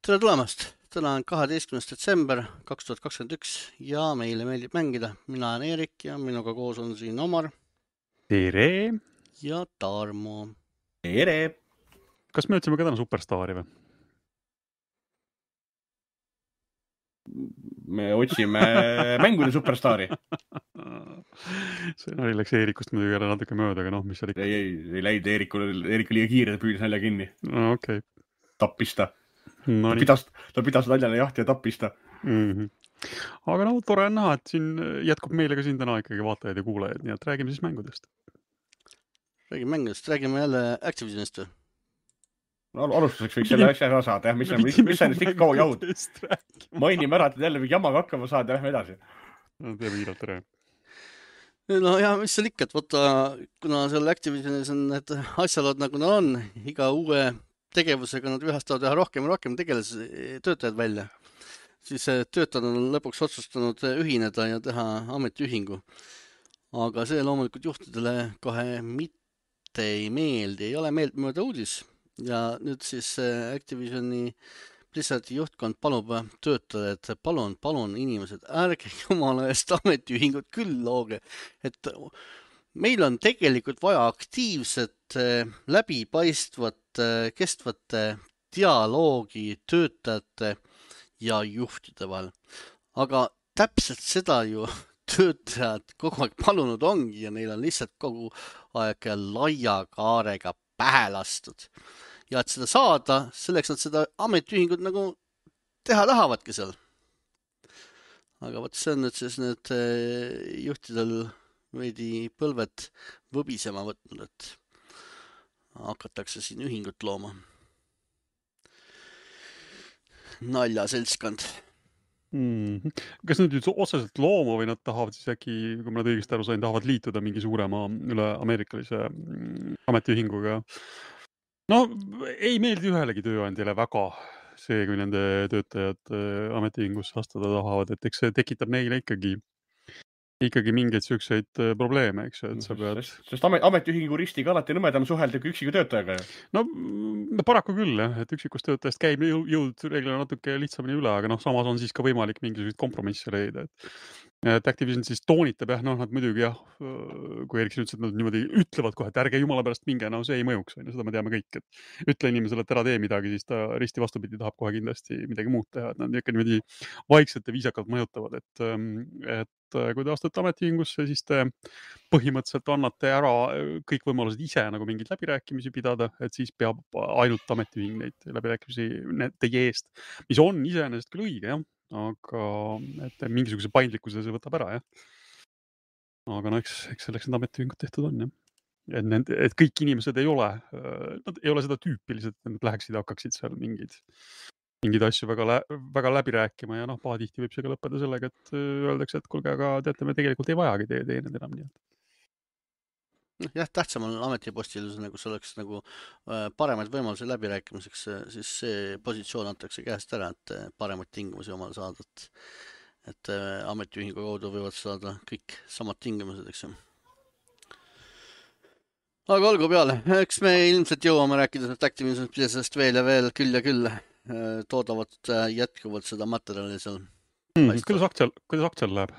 Tere tulemast! Täna on 12. detsember 2021 ja meile meeldib mängida. Mina olen Eerik ja minuga koos on siin Omar Tere! ja Tarmo. Tere! Kas me otsime ka täna superstaari või? Me otsime mängude superstaari. See nali läks Eerikust muidugi jälle natuke mööda, aga mis seal ikka? Ei läinud Eerikul liiga kiire, ta püüdis nalja kinni. No, okei. Tappista. No, ta pidas naljale jahti ja tappista. Aga tore on näha, et siin jätkub meile ka siin täna ikkagi vaatajaid ja kuulajaid, nii et räägime siis mängudest. Räägime jälle Activisionist või? Alustuseks võiks selle asja ära saada, mis on ennast ikka kaua jahud. Mainime ära, et jälle mingi jamaga hakkama saada ja lähme edasi. Teeme kiirelt ära. No ja mis seal ikka, et võtta, kuna seal Activisionis on need asjalood nagu nad on, iga uue tegevusega nad vihastavad üha rohkem ja rohkem töötajad välja, siis töötajad on lõpuks otsustanud ühineda ja teha ametiühingu. Aga see loomulikult juhtidele kohe mitte ei meeldi, ei ole meeltmööda uudis. Ja nüüd siis Activisioni Blizzardi juhtkond palub töötada, et palun inimesed, ärge jumala eest ametiühingut küll looge, et meil on tegelikult vaja aktiivset, läbipaistvat, kestvate dialoogi töötajate ja juhtide vahel. Aga täpselt seda ju töötajad kogu aeg palunud ongi ja neil on lihtsalt kogu aeg laia kaarega pähe lastud. Ja et seda saada, selleks nad seda ametiühingut nagu teha tahavadki seal. Aga võt see on nüüd siis need juhtidel veidi põlved võbisema võtnud, et hakatakse siin ühingut looma. Nalja seltskond. Kas nad nüüd otseselt looma või nad tahavad siis äkki, kui ma nad õigesti aru sain, tahavad liituda mingi suurema üle ameerikalise ametiühinguga? No, ei meeldi ühelegi tööandjale väga see, kui nende töötajad ametiühingusse astuda tahavad, et eks see tekitab neile ikkagi mingeid sükseid probleeme, eks ju, et sa pead... Sest ametiühingu ristiga alati nõmedam suhelda kui üksiku töötajaga. No paraku küll, jah, et üksikust töötajast käib jõud reeglina natuke lihtsamini üle, aga samas on siis ka võimalik mingisuguseid kompromisse leida, et Activision siis toonitab, jah, nad muidugi, jah, kui Erik ütles, et nad niimoodi ütlevad kohe, et ärge jumala pärast minge, see ei mõjuks, seda me teame kõik, et ütle inimesele, et ära tee midagi, siis ta risti vastupidi tahab kohe kindlasti midagi muud teha, et nad ikka niimoodi vaikselt ja viisakalt mõjutavad, et kui te astute ametiühingusse, siis te põhimõtteliselt annate ära kõik võimalused ise nagu mingeid läbirääkimisi pidada, et siis peab ainult ametiühing neid läbirääkimisi teie eest, mis on iseenesest küll õige, jah, aga et mingisuguse paindlikkuse see võtab ära, jah. Aga eks selleks need ametiühingud tehtud on, jah. Et kõik inimesed ei ole seda tüüpiliselt, et nad läheksid ja hakkaksid seal mingeid asju väga läbi rääkima ja pahatihti võib see ka lõppeda sellega, et öeldakse, et kuulge, aga teate, me tegelikult ei vajagi teie need enam nii. Jah, tähtsam on ametipostil, kus oleks paremaid võimalusi läbirääkimiseks, siis see positsioon antakse käest ära, et paremaid tingimusi omal saada, et ametiühingu kaudu võivad saada kõik samad tingimused, eks ju. Aga olgu peale, eks me ilmselt jõuame rääkida Activision Blizzardist veel ja veel küll ja küll toodavad jätkuvalt seda materjali seal. Kuidas aktsial läheb?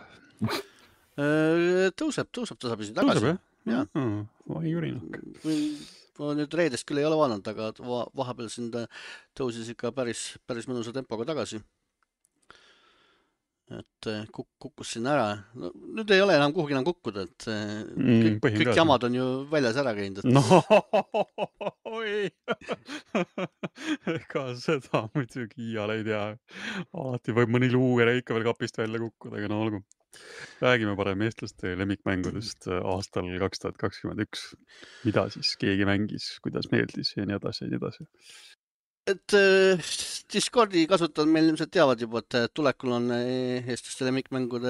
Tõuseb tasapisi tagasi. Tõuseb, jah? Vai jurina. Ma nüüd reedest küll ei ole vaadanud, aga vahepeal siin tõusis ikka päris mõnusa tempoga tagasi. Et kukkus siin ära. No, nüüd ei ole enam kuhugi enam kukkuda, et kõik jamad on ju väljas ära käinud. Ei. Ega seda muidugi iial ei tea. Alati võib mõni luugere ikka veel kapist välja kukkuda, aga olgu. Räägime parem eestlaste lemmikmängudest aastal 2021. Mida siis keegi mängis, kuidas meeldis ja nii edasi ja nii edasi. Et Discordi kasutajad meil ilmselt teavad juba, et tulekul on eestlaste lemmikmängud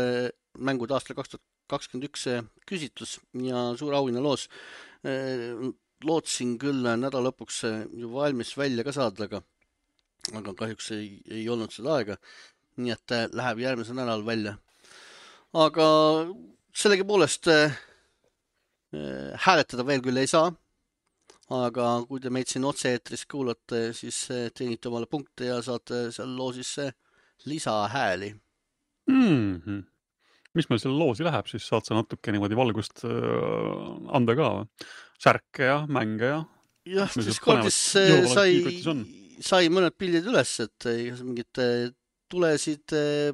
aastal 2021 küsitlus ja suur auhinna loos. Lootsin küll nädala lõpuks ju valmis välja ka saada, aga kahjuks ei olnud seda aega, nii et läheb järgmisel nädalal välja. Aga sellegipoolest hääletada veel küll ei saa, aga kui te meid siin otse-eetris kuulate, siis teenite omale punkte ja saate seal loosisse lisahääli. Mis meil selle loosi läheb, siis saad sa natuke niimoodi valgust anda ka. Särke ja mänge ja. Jah, siis kordis sai mõned pildid üles, et mingid tulesid,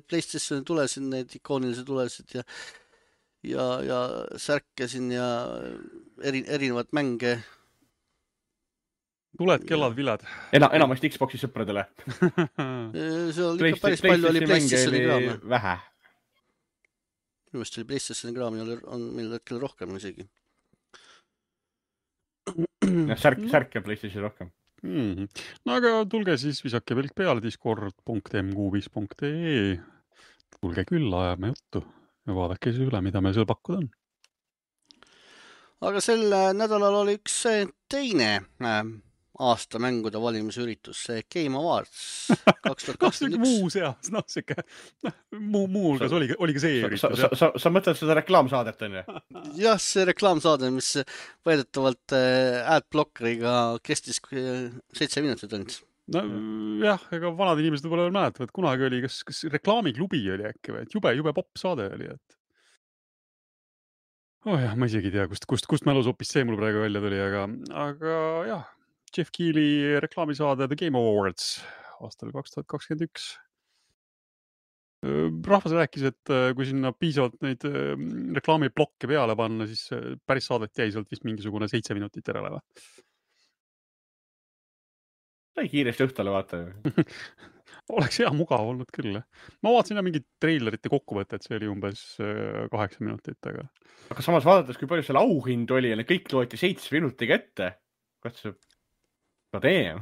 PlayStationi tulesid, need ikoonilised tulesid ja särke siin ja erinevad mänge. Tuled, kellad, viled. Enamasti Xboxi sõpradele. Seal ikka päris palju oli PlayStationi kraami. Vähe. Minu meelest oli PlayStationi kraami on meil hetkel rohkem isegi. Särk ja PlayStation rohkem. No aga tulge siis visake pilk peale discord.m65.ee. Tulge külla, ajame juttu ja vaadake siis üle, mida meil seal pakkuda on. Aga sel nädalal oli üks teine aasta mängude valimisüritus, see Game Awards 2021. Muu seas, muuhulgas oli ka see üritus. Sa mõtled seda reklaamsaadet, on ju? Jah, see reklaamsaade, mis väidetavalt adblockeriga kestis 7 minutit ainult. No jah, ega vanad inimesed võib-olla veel mäletavad, kunagi oli, kas reklaamiklubi oli äkki või, et jube pop saade oli, et jah, ma isegi ei tea, kust mälus hoopis see mul praegu välja tuli, aga jah, Jeff Keighley reklaamisaade The Game Awards aastal 2021. Rahvas rääkis, et kui sinna piisavalt neid reklaamiblokke peale panna, siis päris saadet jäi sealt vist mingisugune 7 minutit järele või? Sai kiiresti õhtale vaata. Oleks hea mugav olnud küll. Ma vaatasin mingit treilerite kokkuvõtet, see oli umbes 8 minutit. Aga samas vaadates, kui palju seal auhind oli ja kõik loeti 7 minutiga ette. Kas see tee?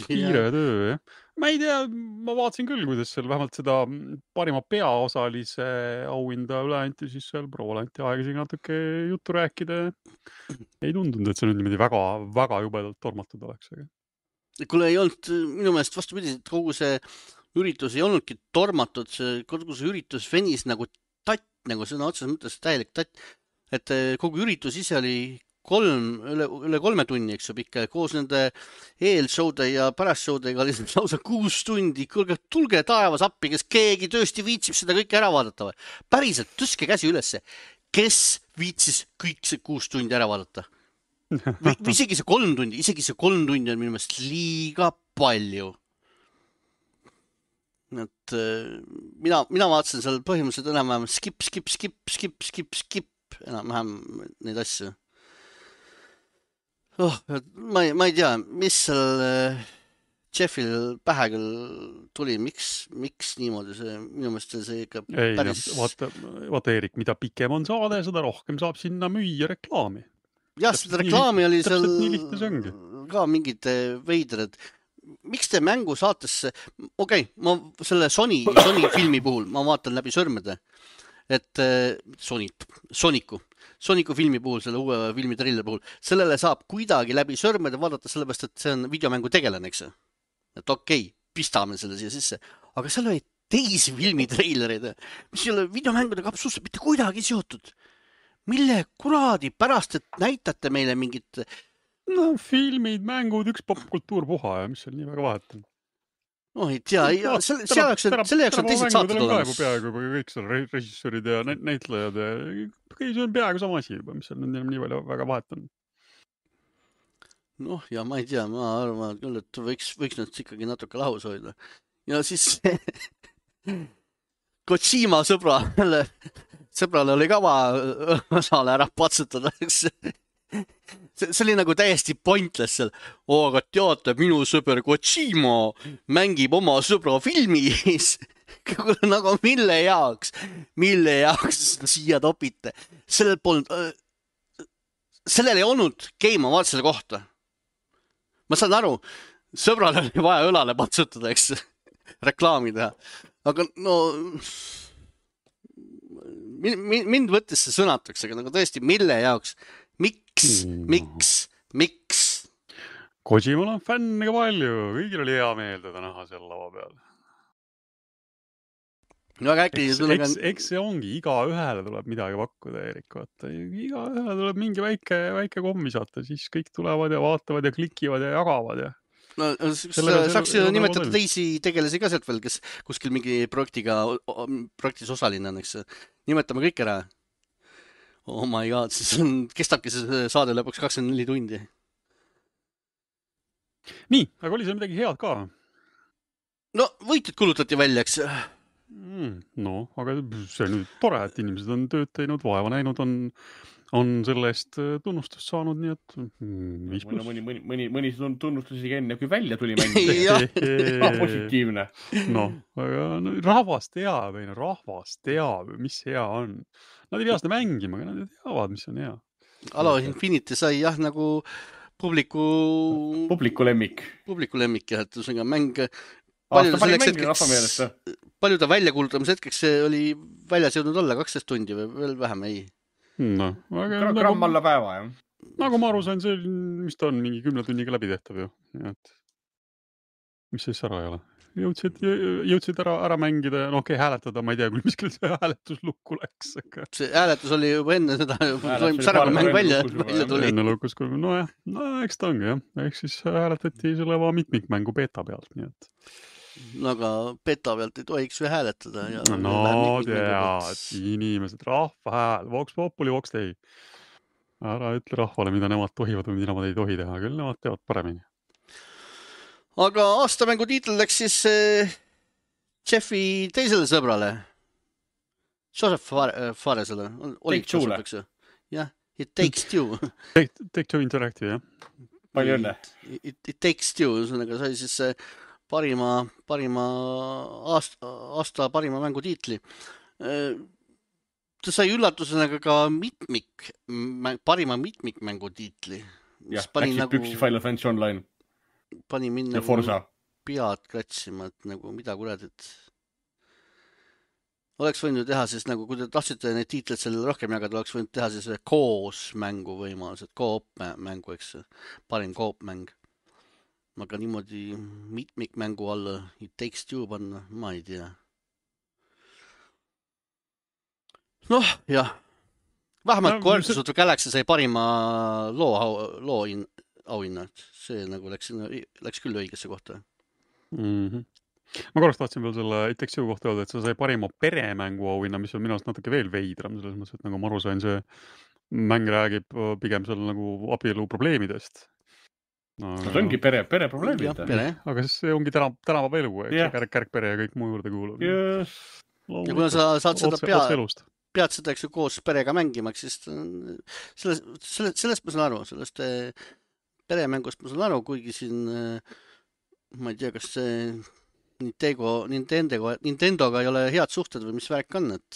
Kiire töö, jah. Ma ei tea, ma vaatasin küll, kuidas seal vähemalt seda parima peaosalise auhinda üle anti, siis seal proole anti aega siin natuke juttu rääkida. Ei tundunud, et see nüüd niimoodi väga jubedalt tormatud oleks. Kuule ei olnud, minu meelest vastupidi, et kogu see üritus ei olnudki tormatud, kogu see üritus venis nagu tatt, nagu sõna otseses mõttes täielik tatt, et kogu üritus ise oli üle 3 tunni, eks ju, pikka, koos nende eelshowde ja pärastshowdega oli lausa 6 tundi. Tulge taevas appi, kes keegi tõesti viitsib seda kõike ära vaadata või? Päriselt, tõstke käsi ülesse. Kes viitsis kõik see 6 tundi ära vaadata? Või isegi see 3 tundi on minu meelest liiga palju. Et mina vaatasin seal põhimõtteliselt enam-vähem skip enam-vähem neid asju. Ma ei tea, mis seal Jeffil pähe küll tuli, miks niimoodi see, minu meelest see ikka päris... Vaata Eerik, mida pikem on saade, seda rohkem saab sinna müüa reklaami. Jah, seda reklaami oli seal ka mingid veidrad. Miks te mängu saatesse... ma selle Sony filmi puhul, ma vaatan läbi sõrmede, et Sonicu filmi puhul, selle uue filmi traileri puhul, sellele saab kuidagi läbi sõrmede vaadata, sellepärast, et see on videomängu tegelane, eks? Et okei, pistame selle siia sisse. Aga seal oli teisi filmitreilereid, mis ei ole videomängudega absoluutselt mitte kuidagi seotud. Mille kuradi pärast, et näitate meile mingit... No filmid, mängud, üks popkultuur puha ja mis seal nii väga vahet on? ei tea, selle jaoks on teised saated olemas. Peaaegu kõik seal režissöörid ja näitlejad ja see on peaaegu sama asi juba, mis seal nii palju väga vahet on. Ja ma ei tea, ma arvan küll, et võiks nüüd ikkagi natuke lahus hoida. Ja siis Kojima sõbrale oli kava osale ära patsutada. See oli nagu täiesti pointless seal. Aga teate, minu sõber Kojima mängib oma sõbra filmis. Nagu mille jaoks siia topite? Sellel ei olnud Game Awardsile kohta. Ma saan aru, sõbrale oli vaja õlale patsutada, eks reklaami teha. Aga mind võttes see sõnatuks, aga nagu tõesti, mille jaoks? Miks? Kojimal on fänne ka palju, kõigil oli hea meel teda näha seal lava peal. väga äkki Eks see ongi, igaühele tuleb midagi pakkuda, Erik, vaata. Igaühele tuleb mingi väike komm visata, siis kõik tulevad ja vaatavad ja klikivad ja jagavad ja no, saaks ju nimetada teisi tegelasi ka sealt veel, kes kuskil mingi projektis osaline on, eks. Nimetame kõik ära. Oh my god, siis kestabki see saade lõpuks 24 tundi. Nii, aga oli see midagi head ka? No, võitjad kulutati välja, eks. No, aga see on nüüd tore, et inimesed on tööd teinud, vaeva näinud, on selle eest tunnustust saanud, nii et 5+. Mõni tunnustus isegi enne, kui välja tuli mäng. Positiivne. No, aga rahvas teab, mis hea on. Nad ei pea seda mängima, aga nad teavad, mis on hea. Halo Infinity sai jah nagu publiku lemmik. Publiku lemmik, jah, et usega mäng palju ta välja kuulutamise hetkeks oli väljas jõudnud olla 12 tundi või veel vähem, ei? No, gramm alla päeva, jah. Nagu ma aru sain, see, mis ta on, mingi 10 tunniga läbi tehtav ju. Et, mis siis ära ei ole? Jõudsid ära mängida ja okei, hääletada, ma ei tea, mis küll see hääletus lukku läks. See hääletus oli juba enne seda, toimus ära, kui mäng välja tuli. Enne lukus, nojah, eks ta ongi, jah. Eks siis hääletati selle mitmikmängu beta pealt, nii et no aga beta pealt ei tohiks ju hääletada. No tead, inimesed, rahva hääl, Vox Populi, Vox Dei. Ära ütle rahvale, mida nemad tohivad või mida nemad ei tohi teha, küll nemad teavad paremini. Aga aastamängu tiitel läks siis Jeffi teisele sõbrale. Joseph Faresele. Take Two'le. Jah, It Takes Two. Take Two Interactive, jah. Palju õnne. It Takes Two, ühesõnaga sai siis parima mängu tiitli. Ta sai üllatusena ka parima mitmikmängu tiitli. Jah, läksid püksi Final Fantasy Online. Pani mind ja Forza. Pead kratsima, et nagu mida kuradit. Oleks võinud teha siis nagu, kui te tahtsite neid tiitleid sellele rohkem jagada, oleks võinud teha siis koos mängu võimalused, koop mängu, eks. Parim koop mäng. Aga niimoodi mitmikmängu alla It Takes Two panna, ma ei tea. Noh, jah. Vähemalt Guardians of the Galaxy sai parima loo auhinna. See nagu läks küll õigesse kohta. Ma korraks tahtsin veel selle It Takes Two kohta öelda, et see sai parima peremängu auhinna, mis on minu arust natuke veel veidram, selles mõttes, et nagu ma aru sain, see mäng räägib pigem seal nagu abielu probleemidest. See ongi pere probleemid. Aga see ongi tänava elu, kärgpere ja kõik muu juurde kuulub. Ja kuna sa saad seda pead seda eks ju koos perega mängimaks, siis sellest ma saan aru, sellest peremängust ma saan aru, kuigi siin ma ei tea, kas see Nintendoga ei ole head suhted või mis värk on, et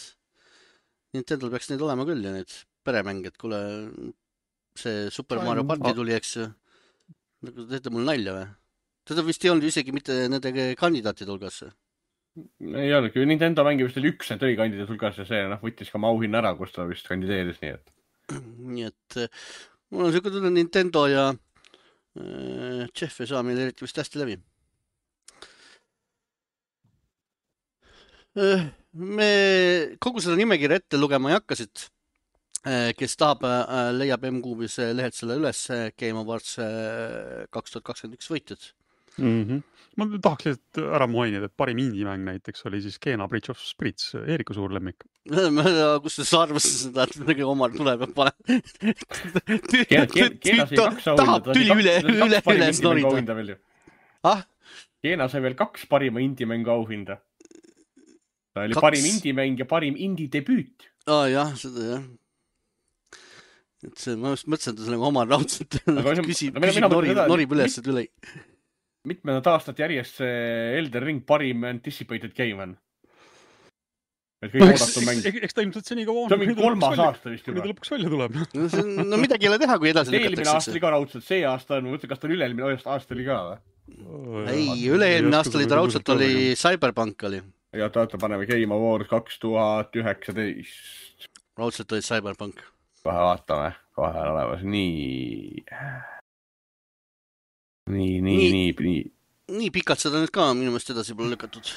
Nintendol peaks neid olema küll ja need peremängid, kuule see Super Mario Party tuli, eks ju. Nagu teete mul nalja või? Teda vist ei olnud isegi mitte nende kandidaatide hulgas. Ei olnudki, Nintendo mängi vist oli üks need oli kandidaat hulgas ja see võttis ka auhinna ära, kus ta vist kandideeris, nii et. Nii et mul on selline Nintendo ja Jeff ei saa meil eriti vist hästi läbi. Me kogu seda nimekirja ette lugema ei hakkasid. Kes tahab, leiab M-Kuubis lehed selle üles Game Awards 2021 võitjad. Ma tahaks ära mainida, et parim indie-mäng näiteks oli siis Kena Bridge of Spirits, Eeriku suur lemmik. Kus sa arvasid seda, et midagi omal tuleb ja pane. Tahab tüli üles norida. Kena sai veel 2 parima indie-mängu auhinda. Ta oli parim indie-mäng ja parim indie-debüüt. Jah, seda jah. Et see, ma just mõtlesin, et ta sellega omal raudselt küsib norib üles, et üle. Mitmendat aastat järjest see Elden Ring parim anticipated game on. Eks ta ilmselt seni ka on. See on mingi 3. aasta vist juba. Mida lõpuks välja tuleb. No midagi ei ole teha, kui edasi lükatakse. Eelmine aasta oli ka raudselt, see aasta on, ma mõtlen, kas ta oli üle-eelmine aasta oli ka või? Ei, üle-eelmine aasta oli ta raudselt oli Cyberpunk oli. Ja taata paneme Game Awards 2019. Raudselt oli Cyberpunk. Kohe vaatame, kohe olemas. Nii pikalt seda nüüd ka minu meelest edasi pole lükatud.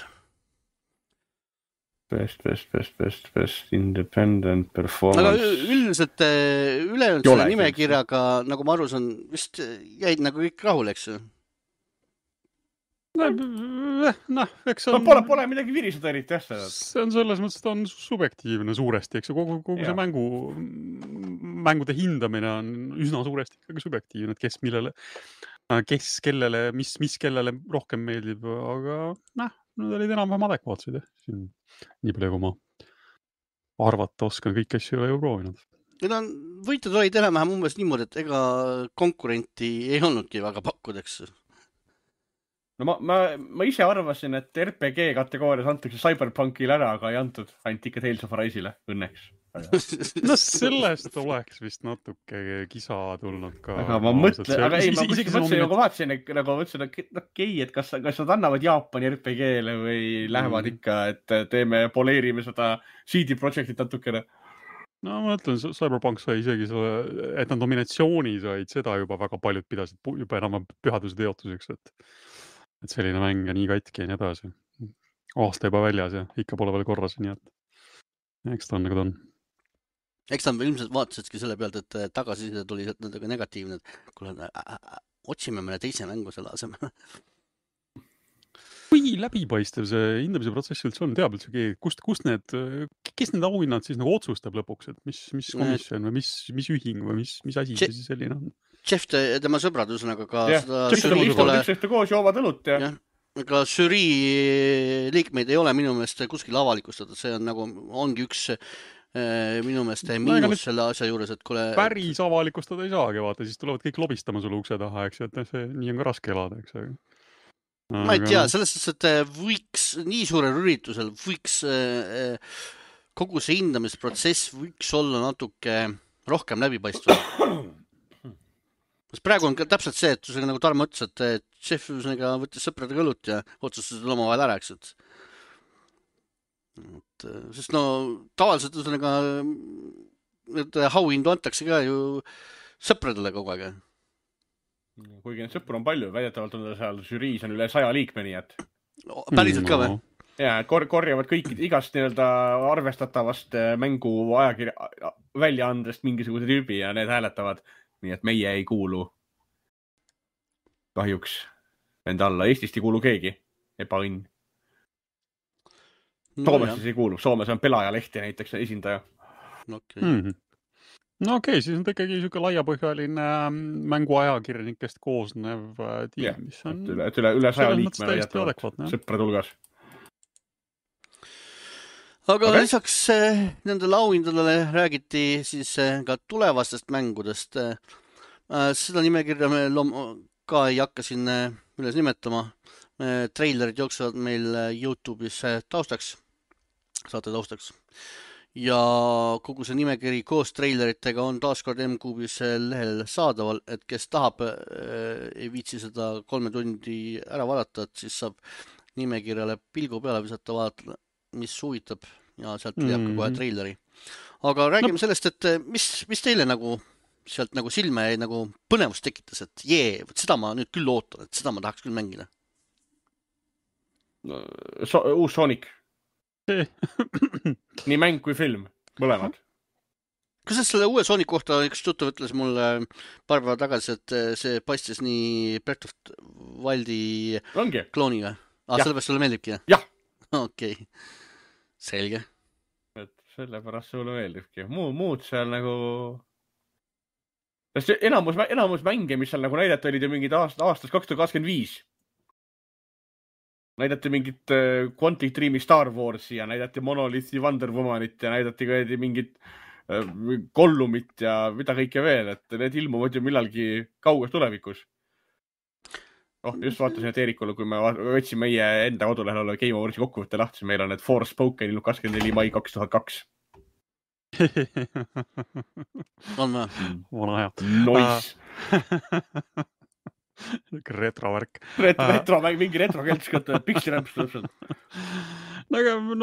Best independent aga performance. üldiselt ülejäänud Ei ole selle nimekirjaga, nagu ma aru saan, vist jäid nagu kõik rahule, eks ju? Noh, eks see No on... pole midagi viriseda eriti, jah, seda. See on selles mõttes, et on subjektiivne suuresti, eks ju, kogu see mängude hindamine on üsna suuresti ikkagi subjektiivne, et kes kellele, mis kellele rohkem meeldib, aga need olid enam-vähem adekvaatsed, jah. Nii palju, kui ma arvata oskan, kõik asju ei ole ju proovinud. Need on võitud olid enam-vähem umbes niimoodi, et ega konkurenti ei olnudki väga pakkuda, eks ju. No ma ise arvasin, et RPG kategoorias antakse Cyberpunkile ära, aga ei antud, ainult ikka Tales of Arise'ile, õnneks. No sellest oleks vist natuke kisa tulnud ka. Aga ma vaatasin, et okei, et kas nad annavad Jaapani RPG-le või lähevad ikka, et poleerime seda CD Projektit natukene. No ma mõtlen, Cyberpunk sai isegi selle, et nad nominatsiooni said, seda juba väga paljud pidasid juba enam pühaduse teotuseks, et selline mäng ja nii katki ja nii edasi. Aasta juba väljas ja ikka pole veel korras, nii et eks ta on nagu ta on. Eks ta ilmselt vaatasidki selle pealt, et tagasiside tuli natuke negatiivne, et kuule, otsime mõne teise mängu selle asemel. Kui läbipaistev see hindamise protsess üldse on, teab üldse keegi, kes need auhinnad siis nagu otsustab lõpuks, et mis komisjon või mis ühing või mis asi see selline on? Jeff ja tema sõbrad üsnaga ka seda koos joovad õlut ja ka žürii liikmeid ei ole minu meelest kuskil avalikustatud, see on nagu, ongi üks minu meelest miinus selle asja juures, et kuule... Päris avalikustada ei saagi, vaata, siis tulevad kõik lobistama sulle ukse taha, eks ju, et see nii on ka raske elada, eks ju. Ma ei tea, selles suhtes, et võiks nii suurel üritusel võiks kogu see hindamisprotsess võiks olla natuke rohkem läbipaistvad. Praegu on ka täpselt see, et nagu Tarmo ütles, et Jeff võttis sõpradega õlut ja otsustas omavahel ära, eks, sest no tavaliselt need auhindu antakse ka ju sõpradele kogu aeg. Kuigi neid sõpru on palju, väidetavalt on seal žüriis on üle 100 liikme, nii et... Päriselt ka või? Ja, korjavad kõik igast nii-öelda arvestatavast mängu ajakirja väljaandest mingisuguse tüübi ja need hääletavad. Nii et meie ei kuulu kahjuks enda alla. Eestist ei kuulu keegi. Ebaõnn. Soomes siis ei kuulu. Soomes on Pelaajalehti näiteks esindaja. No okei, siis on ta ikkagi niisugune laiapõhjaline mänguajakirjanikest koosnev tiim, mis on... Üle 100 liikme väidetavalt sõprade hulgas. Aga lisaks nendele auhindadele räägiti siis ka tulevastest mängudest. Seda nimekirja me ka ei hakka siin üles nimetama. Trailerid jooksevad meil YouTube'is taustaks, saate taustaks. Ja kogu see nimekiri koos traileritega on taaskord M-Kuubis lehel saadaval, et kes tahab, ei viitsi seda 3 tundi ära vaadata, et siis saab nimekirjale pilgu peale visata vaadata, mis huvitab ja sealt leiab ka kohe treileri. Aga räägime sellest, et mis teile nagu sealt nagu silme jäi nagu põnevust tekitas, et seda ma nüüd küll ootan, et seda ma tahaks küll mängida. Uus Sonic. Nii mäng kui film, mõlemad. Kuidas selle uue Sonic kohta üks tuttav ütles mulle paar päeva tagasi, et see paistis nii Breath of Wildi klooniga? Sellepärast sulle meeldibki? Jah. Okei. Selge. Et sellepärast sulle meeldibki. Muud seal nagu... Enamus mänge, mis seal nagu näidati, olid ju mingid aastas 2025. Näidati mingit Quantic Dreami Star Warsi ja näidati Monolithi Wonder Womanit ja näidati ka mingit Gollumit ja mida kõike veel, et need ilmuvad ju millalgi kauges tulevikus. Just vaatasin, et Eerikule, kui me võtsin meie enda kodulehel olla Game Awarsi kokkuvõtte lahti, meil on need Forspoken ilmub 24. mai 2002. On või? Vana hea. Nois. Retrovärk. Mingi retrokeltskott, piksirämps täpselt. No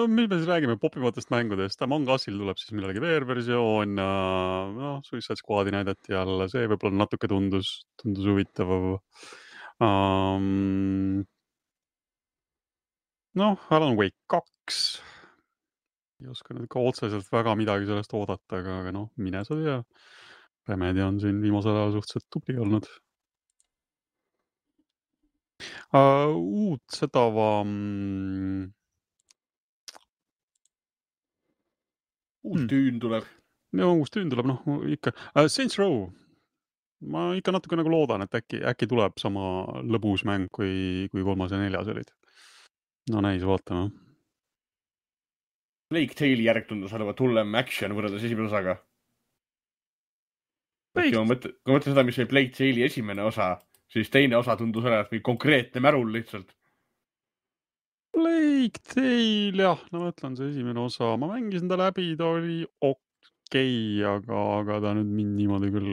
mis me siis räägime popivatest mängudest. Among Usil tuleb siis millalgi VR-versioon. Suicide Squadi näidati jälle. See võib-olla natuke tundus huvitav. Alan Wake 2. ei oska nüüd ka otseselt väga midagi sellest oodata, aga noh, mine sa tea. Remedi on siin viimasel ajal suhteliselt tubli olnud. Uut seda Uus tüün tuleb. no uus tüün tuleb, noh ikka. Saints Row. Ma ikka natuke nagu loodan, et äkki tuleb sama lõbus mäng, kui 3. ja 4. olid. No näis, vaatame. Plague Tale'i järg tundus olevat hullem action võrreldes esimene osaga. Kui ma mõtlen seda, mis oli Plague Tale'i esimene osa, siis teine osa tundus olevat mingi konkreetne märul lihtsalt. Plague Tale, jah, no mõtlen see esimene osa. Ma mängisin ta läbi, ta oli okei, aga ta nüüd mind niimoodi küll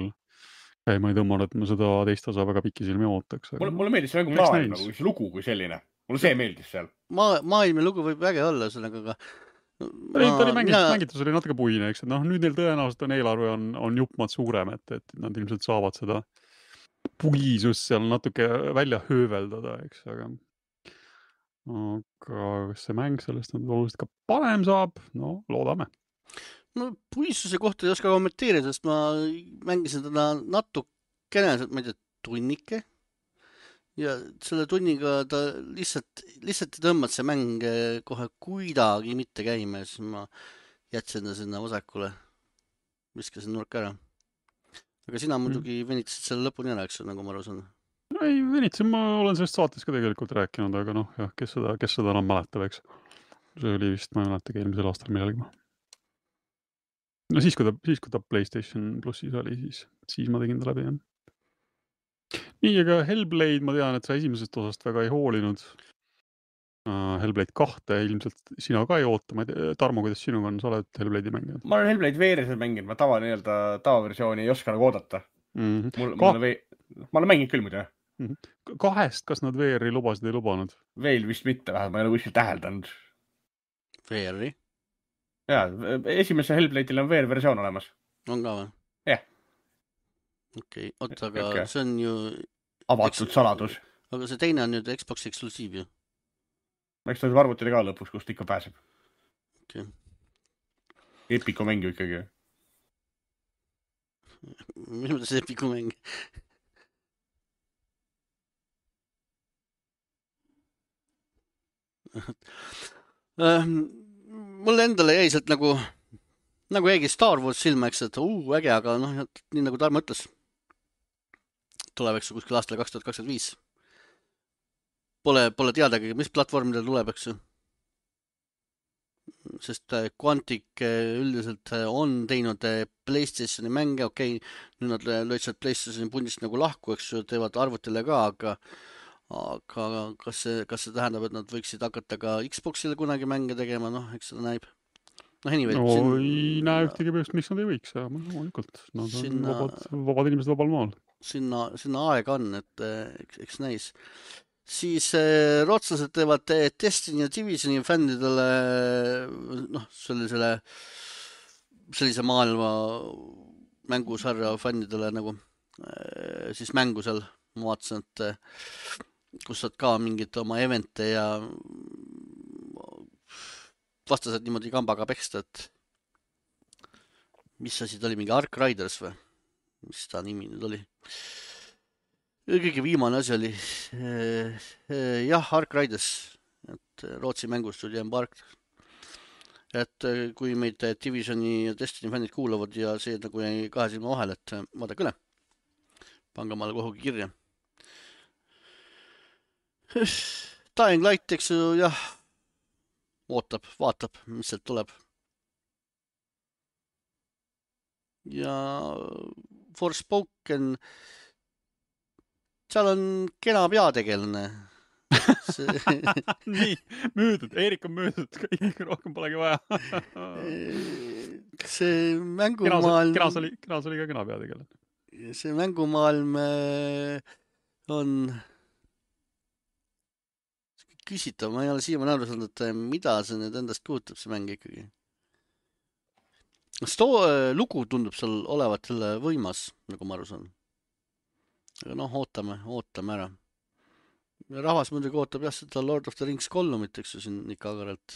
ma ei tõmmanud, et ma seda teist osa väga pikisilmi ootaks. Mulle meeldis see maailm, nagu see lugu kui selline. Mulle see meeldis seal. Maailm ja lugu võib äge olla, aga ta oli mängitus oli natuke puine, eks, et noh, nüüd neil tõenäoliselt on eelarve on jupmad suurem, et nad ilmselt saavad seda pugisust seal natuke välja hööveldada, eks, aga kas see mäng sellest on oluliselt ka parem saab? No, loodame. No puissuse kohta ei oska kommenteerida, sest ma mängisin teda natukene, ma ei tea, tunnike. Ja selle tunniga ta lihtsalt ei tõmmad see mäng kohe kuidagi mitte käima, siis ma jätsin ta sinna vasakule, viskasin nurka ära. Aga sina muidugi venitasid selle lõpuni ära, eks, nagu ma aru saan. No ei venitasin, ma olen sellest saates ka tegelikult rääkinud, aga noh, jah, kes seda enam mäletab, eks. See oli vist, ma ei mäletagi eelmisel aastal millalgi. No siis, kui ta PlayStation Plussis oli, siis ma tegin ta läbi, jah. Nii, aga Hellblade, ma tean, et sa esimesest osast väga ei hoolinud. Hellblade 2 ilmselt sina ka ei oota. Ma ei tea, Tarmo, kuidas sinuga on? Sa oled Hellblade'i mänginud? Ma olen Hellblade VR-iselt mänginud, ma tavaversiooni ei oska nagu oodata. Ma olen mänginud küll muidu, jah. 2, kas nad VR-i lubasid ei lubanud? Veel vist mitte, vähemalt ma ei ole kuskilt täheldanud. VR-i? Jaa, esimese Hellblade'il on VR-versioon olemas. On ka või? Jah. Okei, aga see on ju... Avatud saladus. Aga see teine on nüüd Xbox eksklusiiv ju. Eks ta arvutile ka lõpus, kust ikka pääseb. Okei. Epiku mäng ju ikkagi. Mis mõttes Epiku mäng? Mulle endale jäi sealt nagu jäigi Star Wars silma, eks, et äge, aga noh, nii nagu Tarmo ütles, tuleb, eks, kuskil aastal 2025. Pole teadagi, mis platvormidel tuleb, eks. Sest Quantic üldiselt on teinud PlayStationi mänge, okei, nüüd nad lõid sealt PlayStationi pundist nagu lahku, eks, teevad arvutile ka, aga kas see tähendab, et nad võiksid hakata ka Xboxile kunagi mänge tegema, noh, eks seda näib. Anyway, ei näe ühtegi põhjust, miks nad ei võiks, ja loomulikult. Nad on vabad inimesed vabal maal. Sinna aega on, et eks näis. Siis rootslased teevad Destiny ja Divisioni fännidele, noh, sellise maailma mängusarja fännidele nagu siis mängu seal, ma vaatasin, et kus saad ka mingit oma evente ja vastased niimoodi kambaga peksta, et mis asi ta oli, mingi Ark Riders või? Mis ta nimi nüüd oli? Kõige viimane asi oli jah, Ark Riders, et Rootsi mängustuudio embark. Et kui meid Divisioni ja Destiny fännid kuulavad ja see nagu jäi kahe silma vahel, et vaadake üle. Pange maale kuhugi kirja. Dying Light, eks ju, jah, vaatab, mis sealt tuleb. Ja Forspoken, seal on kena peategelane. Nii, müüdud, Eerik on müüdud, kõik rohkem polegi vaja. See mängumaailm... Kenas oli ka kena peategelane. See mängumaailm on... küsitav, ma ei ole siiamaani aru saanud, et mida see nüüd endast kujutab, see mäng ikkagi. Lugu tundub seal olevat selle võimas, nagu ma aru saan. Aga noh, ootame ära. Rahvas muidugi ootab jah seda Lord of the Rings 3, eks ju siin ikka agaralt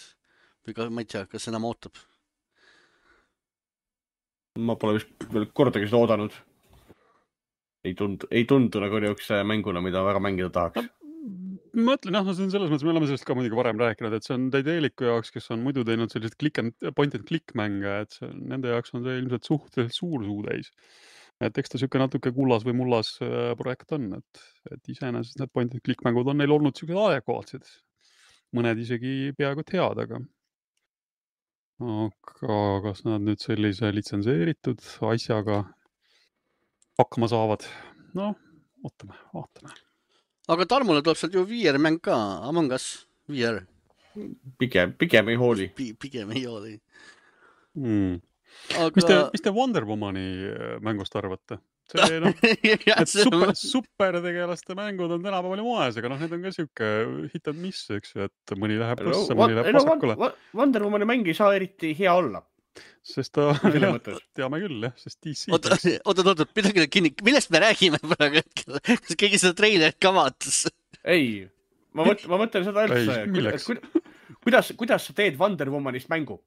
või ka, ma ei tea, kas enam ootab. Ma pole vist veel kordagi seda oodanud. Ei tundu nagu niisuguse mänguna, mida väga mängida tahaks. Ma mõtlen, see on selles mõttes, me oleme sellest ka muidugi varem rääkinud, et see on Daedalicu jaoks, kes on muidu teinud sellised point-and-click mänge, et nende jaoks on see ilmselt suhteliselt suur suutäis. Et eks ta siuke natuke kullas või mullas projekt on, et iseenesest need point-and-click mängud on neil olnud siuksed adekvaatsed. Mõned isegi peaaegu head, aga kas nad nüüd sellise litsenseeritud asjaga hakkama saavad? No, vaatame. Aga Tarmule tuleb sealt ju VR-mäng ka, Among Us VR. Pigem ei hooli. Pigem ei hooli. Aga... Mis te Wonder Womani mängust arvate? Supertegelaste mängud on tänapäeval moes, aga need on ka siuke hit and miss, eks ju, et mõni läheb põssa, mõni läheb pasakule. Wonder Womani mäng ei saa eriti hea olla. Sest ta, teame küll, sest DC. Oot, midagi kinni, millest me räägime praegu hetkel? Kas keegi seda treilerit ka vaatas? Ei, ma mõtlen seda üldse. Kuidas sa teed Wonder Womanist mängu?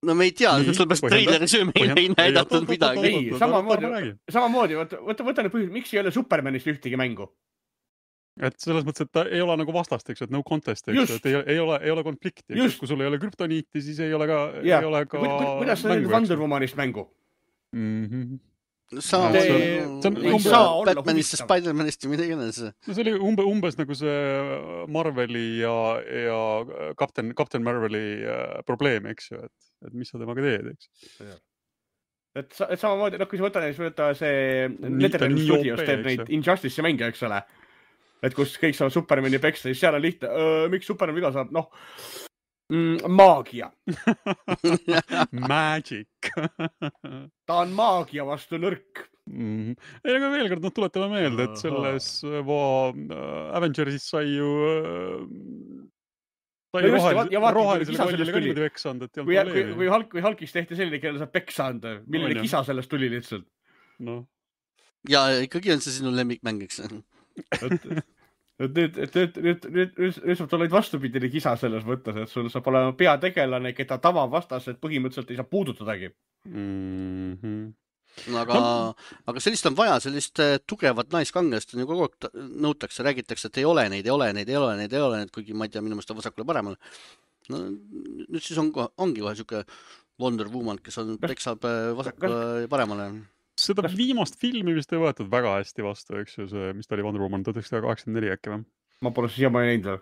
No me ei tea, sellepärast treileris meile ei näidatud midagi. Ei, samamoodi, võta nüüd põhjus, miks ei ole Supermanist ühtegi mängu? Et selles mõttes, et ta ei ole nagu vastast, eks, et no contest, eks, et ei ole konflikti. Kui sul ei ole kryptoniiti, siis ei ole ka kuidas sa teed Wonder Womanist mängu? Batmanist ja Spider-Manist ja midagi enne see. No see oli umbes nagu see Marveli ja Captain Marveli probleem, eks ju, et mis sa temaga teed, eks. Et samamoodi, kui sa võtta see NetherRealm Studios teeb neid Injustice'i mänge, eks ole, et kus kõik saavad Supermani peksta, siis seal on lihtne, miks Superman viga saab, maagia. Magic. Ta on maagia vastu nõrk. Ei, aga veel kord, tuletame meelde, et selles Avengersis sai ju rohelisele kollile ka niimoodi peksa anda, et ei olnud probleemi. Kui Hulkis tehti selline, kellele saab peksa anda, milline kisa sellest tuli lihtsalt. No. Ja ikkagi on see sinu lemmikmäng, eks? Nüüd saab oled vastupidine kisa selles mõttes, et sul saab olema peategelane, keda tavavastased põhimõtteliselt ei saa puudutadagi. Aga sellist on vaja, sellist tugevat naiskangelast on ju kogu aeg nõutakse, räägitakse, et ei ole neid, kuigi ma ei tea, minu meelest on vasakule paremale. No, nüüd siis ongi kohe siuke Wonder Woman, kes peksab vasakule paremale. Seda viimast filmi vist ei võetud väga hästi vastu, eks ju, see, mis ta oli Wonder Woman 1984 äkki või? Ma pole siiamaani näinud veel.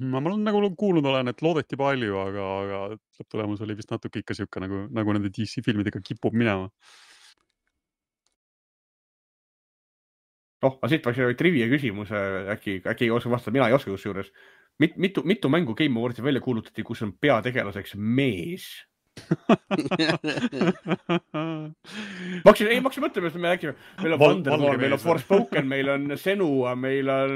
Ma olen nagu kuulnud olen, et loodeti palju, aga lõpptulemus oli vist natuke ikka siuke, nagu nende DC filmidega kipub minema. Aga siit võiks trivia küsimus, äkki ei oska vastata, mina ei oska kusjuures. Mitu mängu Game Awards'i välja kuulutati, kus on peategelaseks mees? Ma hakkasin mõtlema, et me räägime, meil on Wonder Woman, meil on Forspoken, meil on Senua, meil on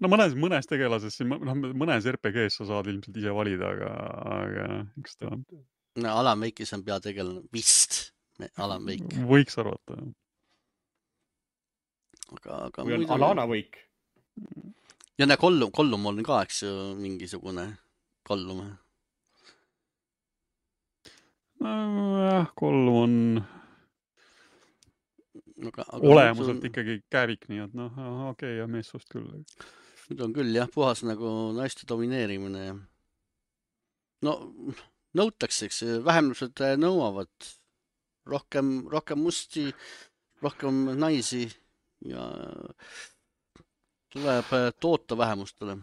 No mõnes tegelases, mõnes RPGs sa saad ilmselt ise valida, aga eks ta on. Alan Wake'is on peategelane, vist Alan Wake. Võiks arvata. Või on Alana Wake. Ja Kollum on ka, eks ju, mingisugune Kollum. Kollum on olemuselt ikkagi kävik, nii et okei, ja meessust küll. Nüüd on küll jah, puhas nagu naiste domineerimine. No, nõutakse, eks, vähemlused nõuavad rohkem musti, rohkem naisi ja tuleb toota vähemustele.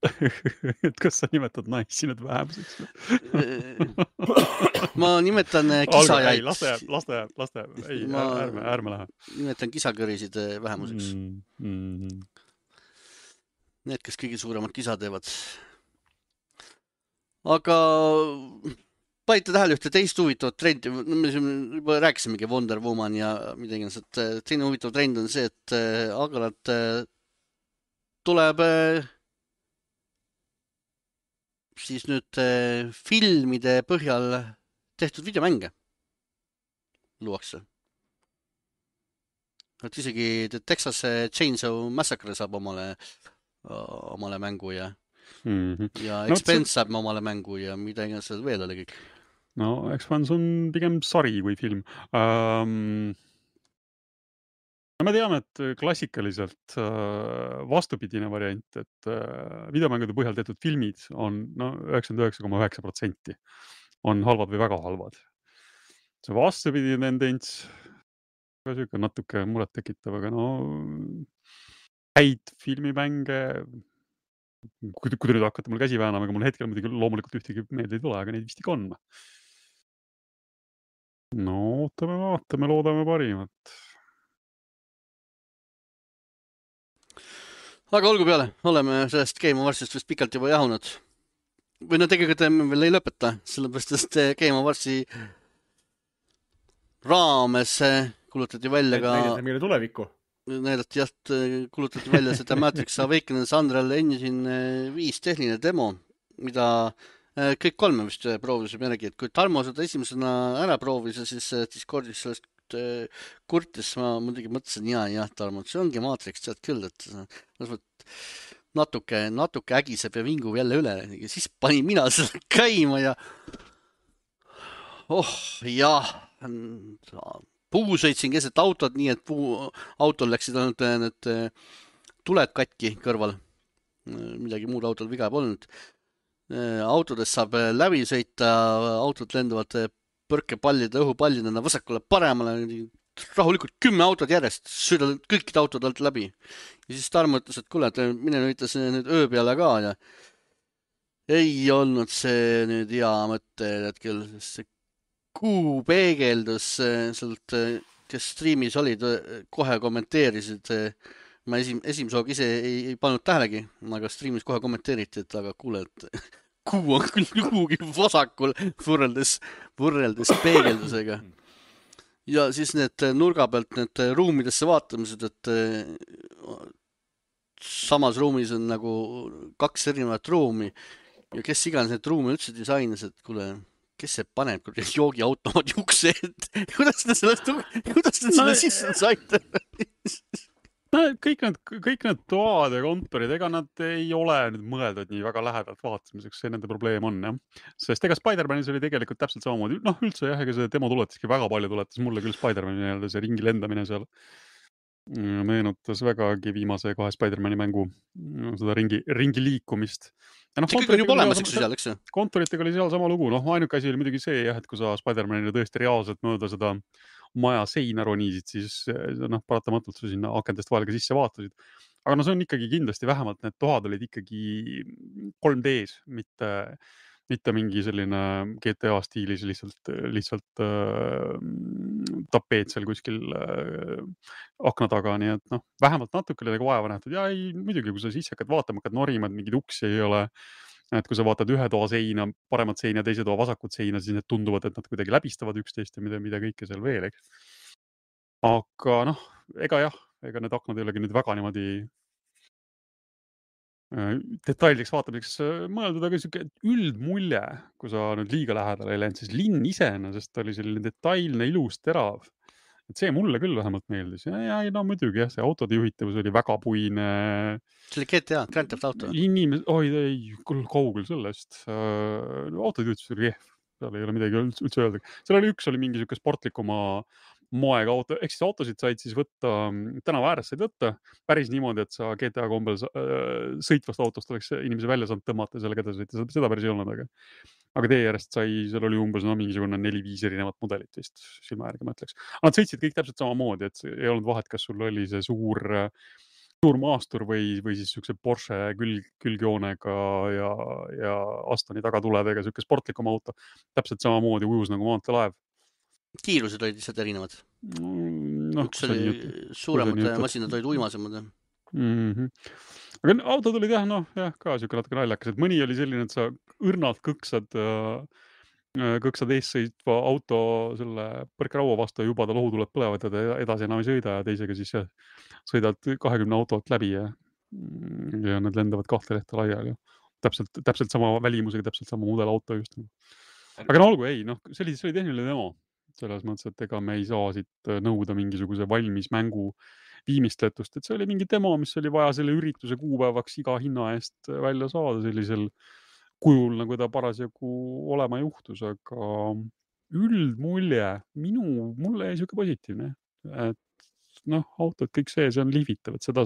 Et kas sa nimetad naisi nüüd vähemuseks? Ma nimetan kisajaid. Laste jääb. Ei, ärme lähe. Nimetan kisakõrisid vähemuseks. Need, kes kõige suuremad kisa teevad. Aga panite tähele ühte teist huvitavat trendi. Me juba rääkisimegi Wonder Woman ja midagi, et teine huvitav trend on see, et aeg-ajalt tuleb siis nüüd filmide põhjal tehtud videomänge luuakse. Et isegi Texas Chainsaw Massacre saab omale omale mängu ja No, Expense saab omale mängu ja mida iganes seal veel oli kõik. no Expanse on pigem sari kui film. No me teame, et klassikaliselt vastupidine variant, et videomängude põhjal tehtud filmid on 99,9% on halvad või väga halvad. See vastupidine tendents ka siuke natuke muret tekitav, aga häid filmimänge, kui te nüüd hakkate mul käsi väänama, aga mul hetkel muidugi loomulikult ühtegi meelde ei tule, aga neid vist ikka on. No ootame, vaatame, loodame parimat. Aga olgu peale, oleme sellest Game Awardsist vist pikalt juba jahunud. Või no tegelikult me veel ei lõpeta, sellepärast et Game Awardsi raames kulutati välja ka... Näidati meile tulevikku. Näidati kulutati välja seda Matrix Awakens Unreal Engine 5 tehniline demo, mida kõik kolme vist proovisime järgi, et kui Tarmo seda esimesena ära proovis ja siis Discordis sellest kurtis, ma muidugi mõtlesin, jah, Tarmo, see ongi Matrix, tead küll, et natuke ägiseb ja vingub jälle üle ja siis panin mina seda käima ja puu sõitsin keset autot, nii et autol läksid ainult need tuled katki kõrval. Midagi muud autol viga polnud. Autodest saab läbi sõita, autod lendavad põrkepallide, õhupallidena vasakule paremale, rahulikult 10 autod järjest, sõidavad kõikide autod alt läbi. Ja siis Tarmo ütles, et kuule, et mine ütles nüüd öö peale ka ja ei olnud see nüüd hea mõte hetkel, see kuu peegeldus sealt, kes striimis olid, kohe kommenteerisid. Ma esimese hooga ise ei pannud tähelegi, aga striimis kohe kommenteeriti, et aga kuule, et kuu on küll kuhugi vasakul võrreldes peegeldusega. Ja siis need nurga pealt need ruumidesse vaatamised, et samas ruumis on nagu 2 erinevat ruumi ja kes iganes need ruumi üldse disainis, et kuule, kes see paneb joogiautomaadi ukse ette? Kuidas te selle sisse saite? Kõik need toad ja kontorid, ega nad ei ole nüüd mõeldud nii väga lähedalt vaatamiseks, see nende probleem on, jah. Sest ega Spider-Manis oli tegelikult täpselt samamoodi. Üldse jah, ega see demo tuletaski väga palju, tuletas mulle küll Spider-Mani nii-öelda see ringi lendamine seal. Meenutas vägagi viimase 2 Spider-Mani mängu seda ringi liikumist. See kõik on juba olemas, eks seal, eks? Kontoritega oli seal sama lugu. Ainuke asi oli muidugi see, jah, et kui sa Spider-Manile tõesti reaalselt mööda seda maja seina ronisid, siis paratamatult sa sinna akendest vahel ka sisse vaatasid. Aga see on ikkagi kindlasti vähemalt need tohad olid ikkagi 3D-s, mitte mingi selline GTA stiilis lihtsalt tapeet seal kuskil akna taga, nii et vähemalt natuke oli vaeva nähtud. Ja ei, muidugi, kui sa sisse hakkad vaatama, hakkad norimad, mingid uksi ei ole. Et kui sa vaatad ühe toa seina, paremat seina ja teise toa vasakut seina, siis need tunduvad, et nad kuidagi läbistavad üksteist ja mida kõike seal veel, eks. Aga ega need aknad ei olegi nüüd väga niimoodi detailideks vaatamiseks mõeldud, aga siuke üldmulje, kui sa nüüd liiga lähedale ei läinud, siis linn iseenesest oli selline detailne, ilus, terav. Et see mulle küll vähemalt meeldis. Ja muidugi jah, see autode juhitavus oli väga puine. See oli GTA, Grand Theft Auto. Ei, kaugel sellest. Autode juhitavus oli kehv. Seal ei ole midagi üldse öelda. Seal üks oli mingi siuke sportlikuma moega auto. Ehk siis autosid said siis võtta, tänava ääres said võtta päris niimoodi, et sa GTA kombel sõitvast autost oleks inimese välja saanud tõmmata ja sellega edasi sõita. Seda päris ei olnud, aga tee järjest seal oli umbes mingisugune 4-5 erinevat modelit vist silma järgi, ma ütleks. Nad sõitsid kõik täpselt samamoodi, et ei olnud vahet, kas sul oli see suur maastur või siis siukse Porsche külgjoonega ja Astoni tagatuledega siuke sportlikum auto. Täpselt samamoodi ujus nagu maanteelaev. Kiirused olid lihtsalt erinevad. Üks oli suuremad masinad olid uimasemad. Aga autod olid ka siuke natuke naljakas, et mõni oli selline, et sa õrnalt kõksad ees sõitva auto selle põrkeraua vastu ja juba ta lohutuled põlevad ja edasi enam ei sõida ja teisega siis sõidad 20 autolt läbi ja need lendavad 2 lehte laiali. Täpselt sama välimusega, täpselt sama mudelauto just. Aga olgu, see oli tehniline demo. Selles mõttes, et ega me ei saa siit nõuda mingisuguse valmis mängu viimistletust, et see oli mingi demo, mis oli vaja selle ürituse kuupäevaks iga hinna eest välja saada sellisel kujul, nagu ta parasjagu olema juhtus, aga üldmulje mulle jäi siuke positiivne, et autod, kõik see on lihvitav, et seda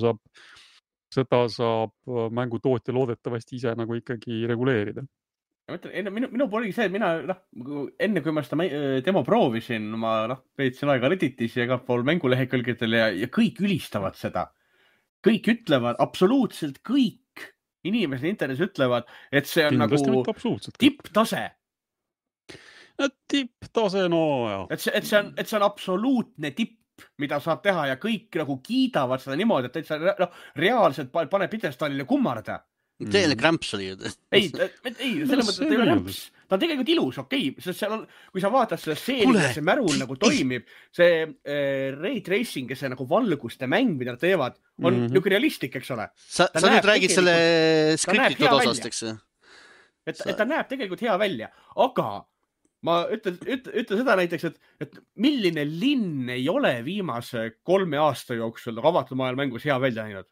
saab mängutootja loodetavasti ise nagu ikkagi reguleerida. Ma ütlen, minu pool oligi see, et mina, enne kui ma seda demo proovisin, ma veetsin aega Redditis ja igal pool mängulehekülgedel ja kõik ülistavad seda. Kõik ütlevad, absoluutselt kõik inimesed internetis ütlevad, et see on Kindlasti nagu tipptase. Tipptase, no jah. Et see on absoluutne tipp, mida saab teha ja kõik nagu kiidavad seda niimoodi, et sa reaalselt paneb pidestaalile kummarda. Teile krämps oli ju. Ei, selles mõttes, et ei ole krämps. Ta on tegelikult ilus, okei. Sest seal on, kui sa vaatad seda seeri, see märul nagu toimib, see ray tracing ja see nagu valguste mäng, mida nad teevad, on niuke realistlik, eks ole. Sa nüüd räägid selle skriptitud osast, eks? Et ta näeb tegelikult hea välja, aga ma ütlen seda näiteks, et milline linn ei ole viimase 3 aasta jooksul avatud maailma mängus hea välja näinud?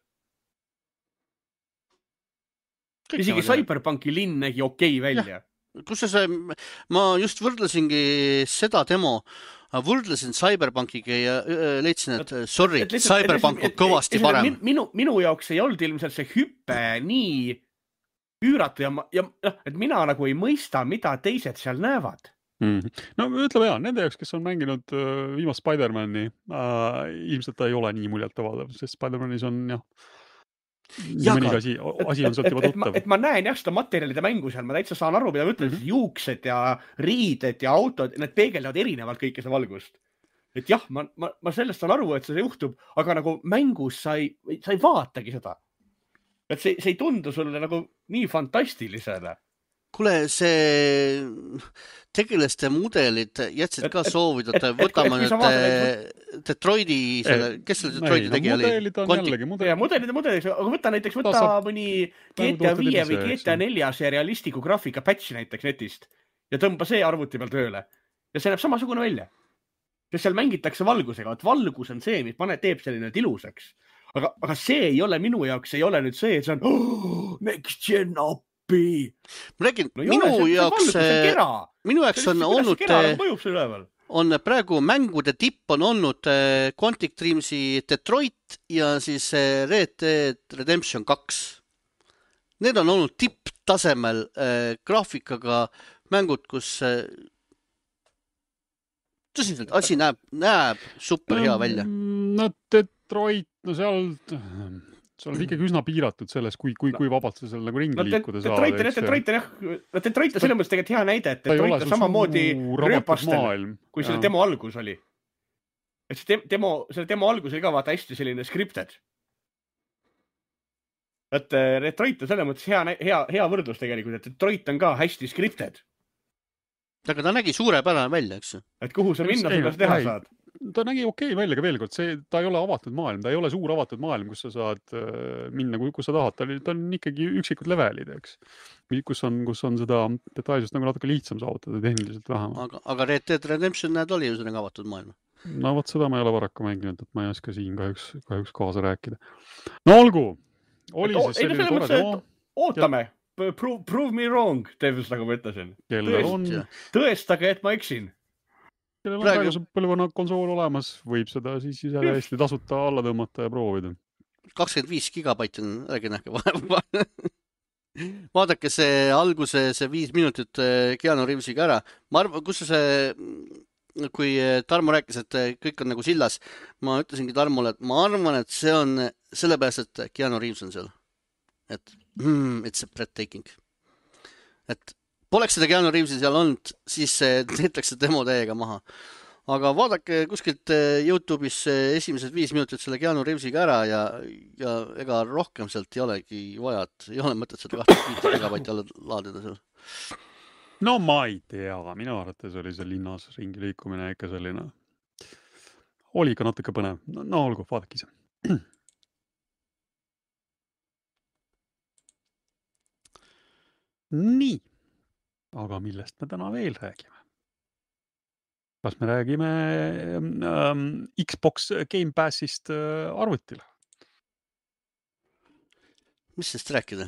Isegi Cyberpunki linn nägi okei välja. Kus ma just võrdlesingi seda demo, võrdlesin Cyberpunkiga ja leidsin, et sorry, Cyberpunk on kõvasti parem. Minu jaoks ei olnud ilmselt see hüppe nii üüratu ja et mina nagu ei mõista, mida teised seal näevad. No ütleme jah, nende jaoks, kes on mänginud viimast Spider-Mani, ilmselt ta ei ole nii muljetavaldav, sest Spider-Manis on mõnigi asi on sealt juba tuttav. Et ma näen jah seda materjalide mängu seal, ma täitsa saan aru, mida ma ütlen, juuksed ja riided ja autod, need peegeldavad erinevalt kõike seda valgust. Et jah, ma sellest saan aru, et see juhtub, aga nagu mängus sa ei vaatagi seda. Et see ei tundu sulle nagu nii fantastilisele. Kuule, see tegelaste mudelid jätsid ka soovida, et võtame nüüd Detroiti, kes selle Detroiti tegi oli? Mudelid, aga võta mõni GTA 5 või GTA 4 see realistliku graafika patch näiteks netist ja tõmba see arvuti peal tööle. Ja see näeb samasugune välja. Sest seal mängitakse valgusega, et valgus on see, mis teeb selline ilusaks. Aga see ei ole minu jaoks, ei ole nüüd see, et see on next gen up. Ma räägin, minu jaoks on olnud, on praegu mängude tipp on olnud Quantic Dreamsi Detroit ja siis Red Dead Redemption 2. Need on olnud tipptasemel graafikaga mängud, kus tõsiselt asi näeb super hea välja. No Detroit, seal on ikkagi üsna piiratud selles, kui vabalt sa seal nagu ringi liikuda saad. Detroit on selles mõttes tegelikult hea näide, et Detroit on samamoodi rööpastel, kui selle demo algus oli. Et selle demo algus oli ka vaata hästi selline scripted. Et Detroit on selles mõttes hea võrdlus tegelikult, et Detroit on ka hästi scripted. Aga ta nägi suurepärane välja, eks? Et kuhu sa minna seda teha saad? Ta nägi okei välja ka veel kord, ta ei ole avatud maailm, ta ei ole suur avatud maailm, kus sa saad minna, kus sa tahad, ta on ikkagi üksikud levelid, eks, kus on seda detailsust nagu natuke lihtsam saavutada tehniliselt vähem. Aga Red Dead Redemption näed oli üsnagi avatud maailm. No vot seda ma ei ole paraku mänginud, et ma ei oska siin kahjuks kaasa rääkida. No olgu, oli siis selline tore demo. Ootame, prove me wrong, Devils, nagu ma ütlesin. Tõestage, et ma eksin. Kellel on praeguse põlvkonna konsool olemas, võib seda siis ise hästi tasuta alla tõmmata ja proovida. 25 gigabaiti on nähke vahe. Vaadake see alguse, see 5 minutit Keanu Reavesiga ära. Ma arvan, kus see, kui Tarmo rääkis, et kõik on nagu sillas, ma ütlesingi Tarmole, et ma arvan, et see on sellepärast, et Keanu Reaves on seal. Et it's a breathtaking. Et poleks seda Keanu Reavesi seal olnud, siis teetakse demo täiega maha. Aga vaadake kuskilt YouTube'is esimesed 5 minutit selle Keanu Reavesiga ära ja ega rohkem sealt ei olegi vaja, et ei ole mõtet seda 25 gigabaiti alla laadida seal. No ma ei tea, minu arvates oli see linnas ringi liikumine ikka selline. Oli ka natuke põnev. No olgu, vaadake ise. Nii. Aga millest me täna veel räägime? Kas me räägime Xbox Game Passist arvutil? Mis sest rääkida?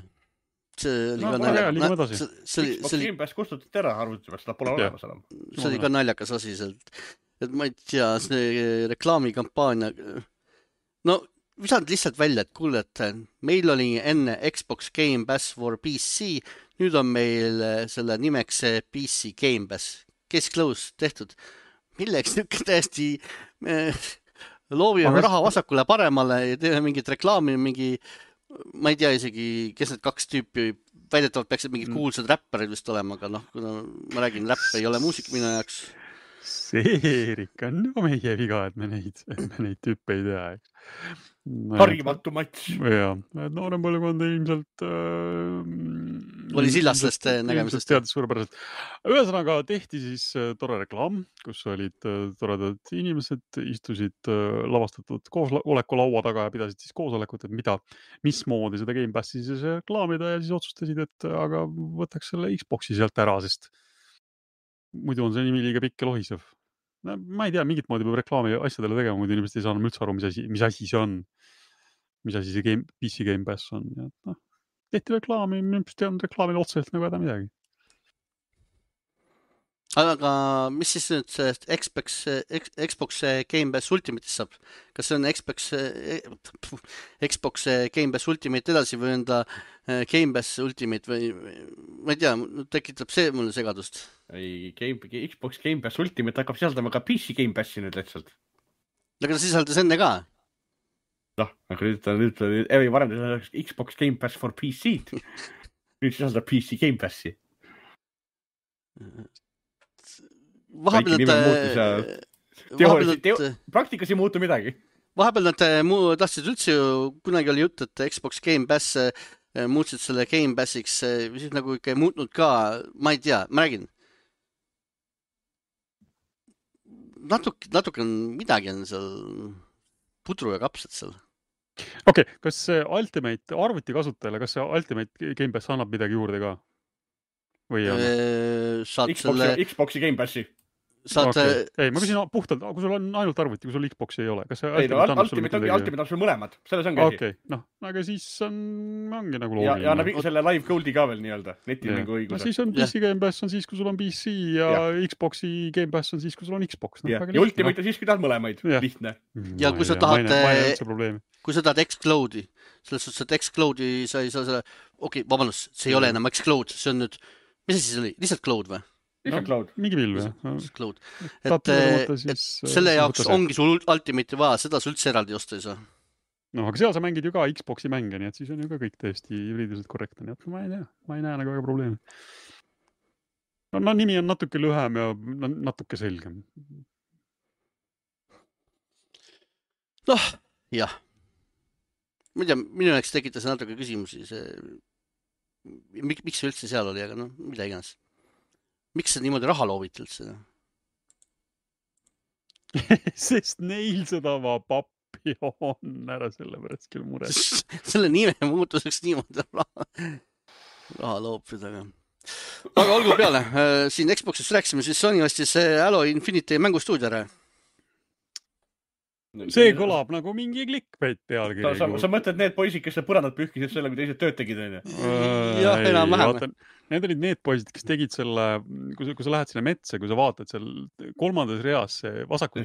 See oli No, ka väga hea, liigume edasi. Xbox Game Pass kustutati ära arvuti pealt, seda pole Jah. olemas enam. see oli ka naljakas asi sealt. Et ma ei tea, see reklaamikampaania. No, visanud lihtsalt välja, et kuule, et meil oli enne Xbox Game Pass for PC, nüüd on meil selle nimeks PC Game Pass. Case close tehtud. Milleks niisugune täiesti loovime raha vasakule paremale ja teeme mingit reklaami, ma ei tea isegi, kes need kaks tüüpi, väidetavalt peaksid mingid kuulsad räpparid vist olema, aga noh, kuna ma räägin, räpp ei ole muusik minu jaoks. See Eerik on ju meie viga, et me neid tüüpe ei tea. Harjumatu matš. Jaa, noorem põlvkond ilmselt oli sillastest nägemisest. Teadis suurepäraselt. Ühesõnaga tehti siis tore reklaam, kus olid toredad inimesed, istusid lavastatud koosoleku laua taga ja pidasid siis koosolekut, et mismoodi seda Game Passi siis reklaamida ja siis otsustasid, et aga võtaks selle Xboxi sealt ära, sest muidu on see nimi liiga pikk ja lohisev. No, ma ei tea, mingit moodi peab reklaami asjadele tegema, muidu inimesed ei saa üldse aru, mis asi see on. Mis asi see PC Game Pass on. Ja, noh, tehti reklaami, minust ei olnud reklaamil otseselt nagu häda midagi. Aga mis siis nüüd see Xbox Game Pass Ultimate'is saab? Kas see on Xbox Game Pass Ultimate edasi või on ta Game Pass Ultimate või ma ei tea, tekitab see mulle segadust. Ei, Xbox Game Pass Ultimate hakkab sisaldama ka PC Game Passi nüüd lihtsalt. Aga ta sisaldas enne ka? Noh, aga nüüd varem Xbox Game Pass for PC-d. Nüüd sisaldab PC Game Passi. Praktikas ei muutu midagi. Vahepeal nad tahtsid üldse ju, kunagi oli jutt, et Xbox Game Pass muutsid selle Game Passiks, siis nagu ikka ei muutnud ka, ma ei tea, ma räägin. Natuke midagi on seal pudru ja kapsad seal. Okei, kas see Ultimate arvuti kasutajale, kas see Ultimate Game Pass annab midagi juurde ka? Või Xboxi Game Passi. Ei, ma küsin puhtalt, kui sul on ainult arvuti, kui sul Xboxi ei ole. Kas see Ultimate annab sul mõlemad, selles ongi asi. Okei, noh, aga siis ongi nagu loogiline. Ja annab selle live gold'i ka veel nii-öelda, netimängu õiguse. No siis on PC Game Pass on siis, kui sul on PC ja Xboxi Game Pass on siis, kui sul on Xbox. Ja Ultimate on siis, kui tahad mõlemaid, lihtne. Ja kui sa tahad Xcloud'i, selles suhtes, et Xcloud'i sa ei saa selle, vabandust, see ei ole enam Xcloud, see on nüüd, mis asi see oli, lihtsalt Cloud või? Mingi pilv, Cloud. Et selle jaoks ongi sul Ultimate'i vaja, seda sa üldse eraldi osta ei saa. No, aga seal sa mängid ju ka Xboxi mänge, nii et siis on ju ka kõik tõesti juriidiliselt korrektne, nii et ma ei tea, ma ei näe nagu väga probleemi. No nimi on natuke lühem ja natuke selgem. Noh, jah. Ma ei tea, minu jaoks tekitas natuke küsimusi see, miks see üldse seal oli, aga noh, mida iganes. Miks see niimoodi raha looviti üldse? Sest neil seda pappi on ära selle pärast küll mure. Selle nime muutuseks niimoodi raha loopida. Aga olgu peale. Siin Xboxist rääkisime, siis Sony ostis Halo Infinity mängustuudio ära. See kõlab nagu mingi clickbait pealkiri. Sa mõtled need poisid, kes põrandad pühkisid selle, kui teised tööd tegid? Jah, enam-vähem. Need olid need poisid, kes tegid selle, kui sa lähed sinna metsa, kui sa vaatad seal kolmandas reas vasakult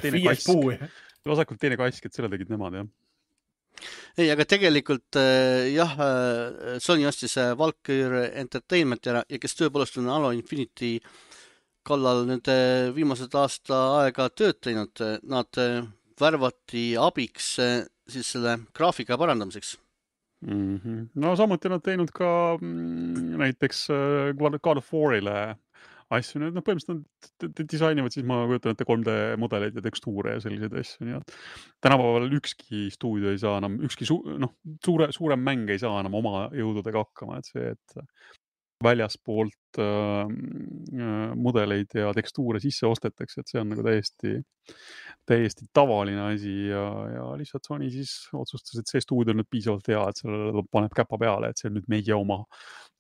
teine kask, et selle tegid nemad, jah. Ei, aga tegelikult jah, Sony ostis Valkyrie Entertainment ja kes tõepoolest on Halo Infinity kallal nüüd viimased aasta aega tööd teinud. Nad värvati abiks siis selle graafika parandamiseks. No samuti nad teinud ka näiteks God of War'ile asju. Põhimõtteliselt disainivad siis ma kujutan ette 3D mudeleid ja tekstuure ja selliseid asju. Nii et tänapäeval ükski stuudio ei saa enam, ükski suurem mäng ei saa enam oma jõududega hakkama. Et see, et väljaspoolt mudeleid ja tekstuure sisse ostetakse, et see on nagu täiesti tavaline asi ja lihtsalt Sony siis otsustas, et see stuudio on nüüd piisavalt hea, et sellele paneb käpa peale, et see on nüüd meie oma,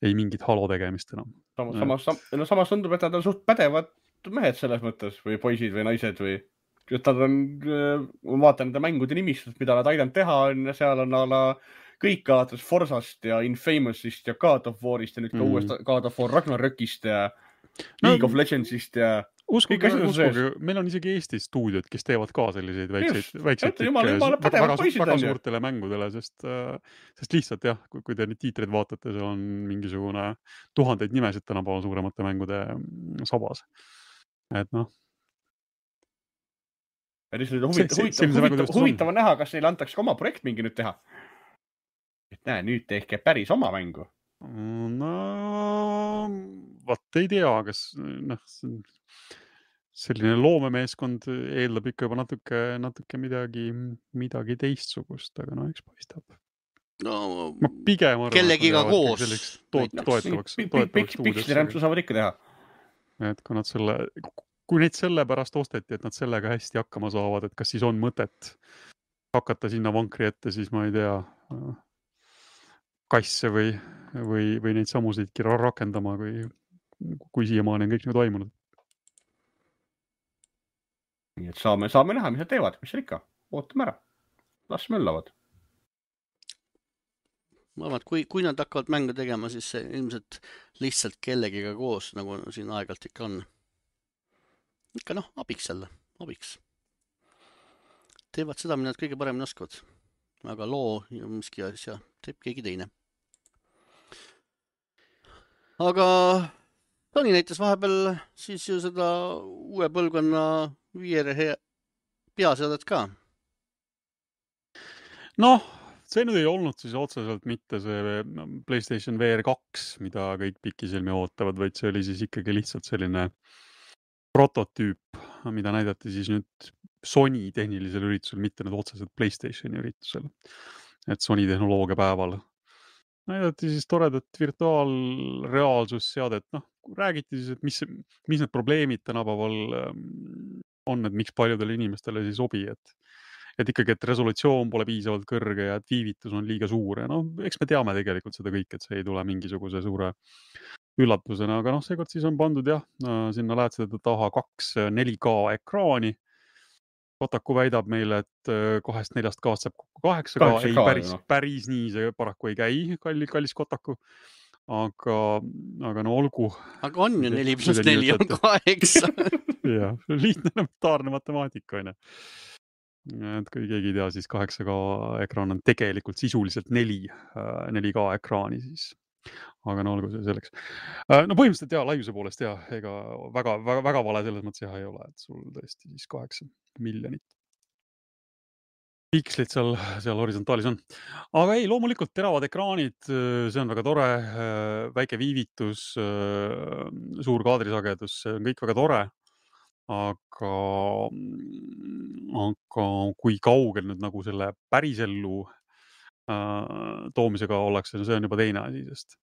ei mingit Halo tegemist enam. Samas tundub, et nad on suht pädevad mehed selles mõttes või poisid või naised või nad on, ma vaatan nende mängude nimistust, mida nad aidanud teha on ja seal on ala kõik alates Forsast ja Infamousist ja God of War'ist ja nüüd ka uuest God of War Ragnarökist ja League of Legendsist ja uskuge, meil on isegi Eestis stuudiod, kes teevad ka selliseid väikseid väga suurtele mängudele, sest lihtsalt jah, kui te neid tiitreid vaatate, seal on mingisugune tuhandeid nimesid tänapäeval suuremate mängude sabas. Et noh. Huvitav on näha, kas neile antakse ka oma projekt mingi nüüd teha. Et näe, nüüd tehke päris oma mängu. No, vaat ei tea, kas selline loomemeeskond eeldab ikka juba natuke midagi teistsugust, aga no eks paistab. No, ma pigem arvan, kellegiga koos. Toetavaks Pikslirämpsu saavad ikka teha. Et kui neid selle pärast osteti, et nad sellega hästi hakkama saavad, et kas siis on mõtet hakata sinna vankri ette, siis ma ei tea, kasse või neid samusidki rakendama, kui siiamaani on kõik nagu toimunud. Nii et saame näha, mis nad teevad, mis seal ikka. Ootame ära. Las möllavad. Ma arvan, et kui nad hakkavad mängu tegema, siis see ilmselt lihtsalt kellegiga koos, nagu siin aegalt ikka on. Ikka abiks jälle, abiks. Teevad seda, mida nad kõige paremini oskavad. Aga loo ja miski asja teeb keegi teine. Aga Toni näitas vahepeal siis ju seda uue põlvkonna VR peaseadet ka. Noh, see nüüd ei olnud siis otseselt mitte see PlayStation VR 2, mida kõik pikisilmi ootavad, vaid see oli siis ikkagi lihtsalt selline prototüüp, mida näidati siis nüüd Sony tehnilisel üritusel, mitte nüüd otseselt PlayStationi üritusel. Et Sony tehnoloogia päeval näidati siis toredat virtuaalreaalsusseadet. Räägiti siis, et mis need probleemid tänapäeval on, et miks paljudele inimestele siis sobi, et ikkagi, et resolutsioon pole piisavalt kõrge ja et viivitus on liiga suur. Ja eks me teame tegelikult seda kõik, et see ei tule mingisuguse suure üllatusena, aga seekord siis on pandud sinna lähed seda taha 2 4K ekraani. Kotaku väidab meile, et 2-4K saab kokku 8K. Ei, päris nii see paraku ei käi, kallis Kotaku. Aga olgu. Aga on ju 4 + 4 on 8. Jah, lihtne elementaarne matemaatika on. Et kui keegi ei tea, siis 8K ekraan on tegelikult sisuliselt 4K ekraani siis. Aga olgu see selleks. Põhimõtteliselt laiuse poolest ega väga vale selles mõttes ei ole, et sul tõesti siis 8 miljonit pikslit seal horisontaalis on. Aga ei, loomulikult teravad ekraanid, see on väga tore, väike viivitus, suur kaadrisagedus, see on kõik väga tore. Aga kui kaugel nüüd nagu selle pärisellu toomisega ollakse, see on juba teine asi, sest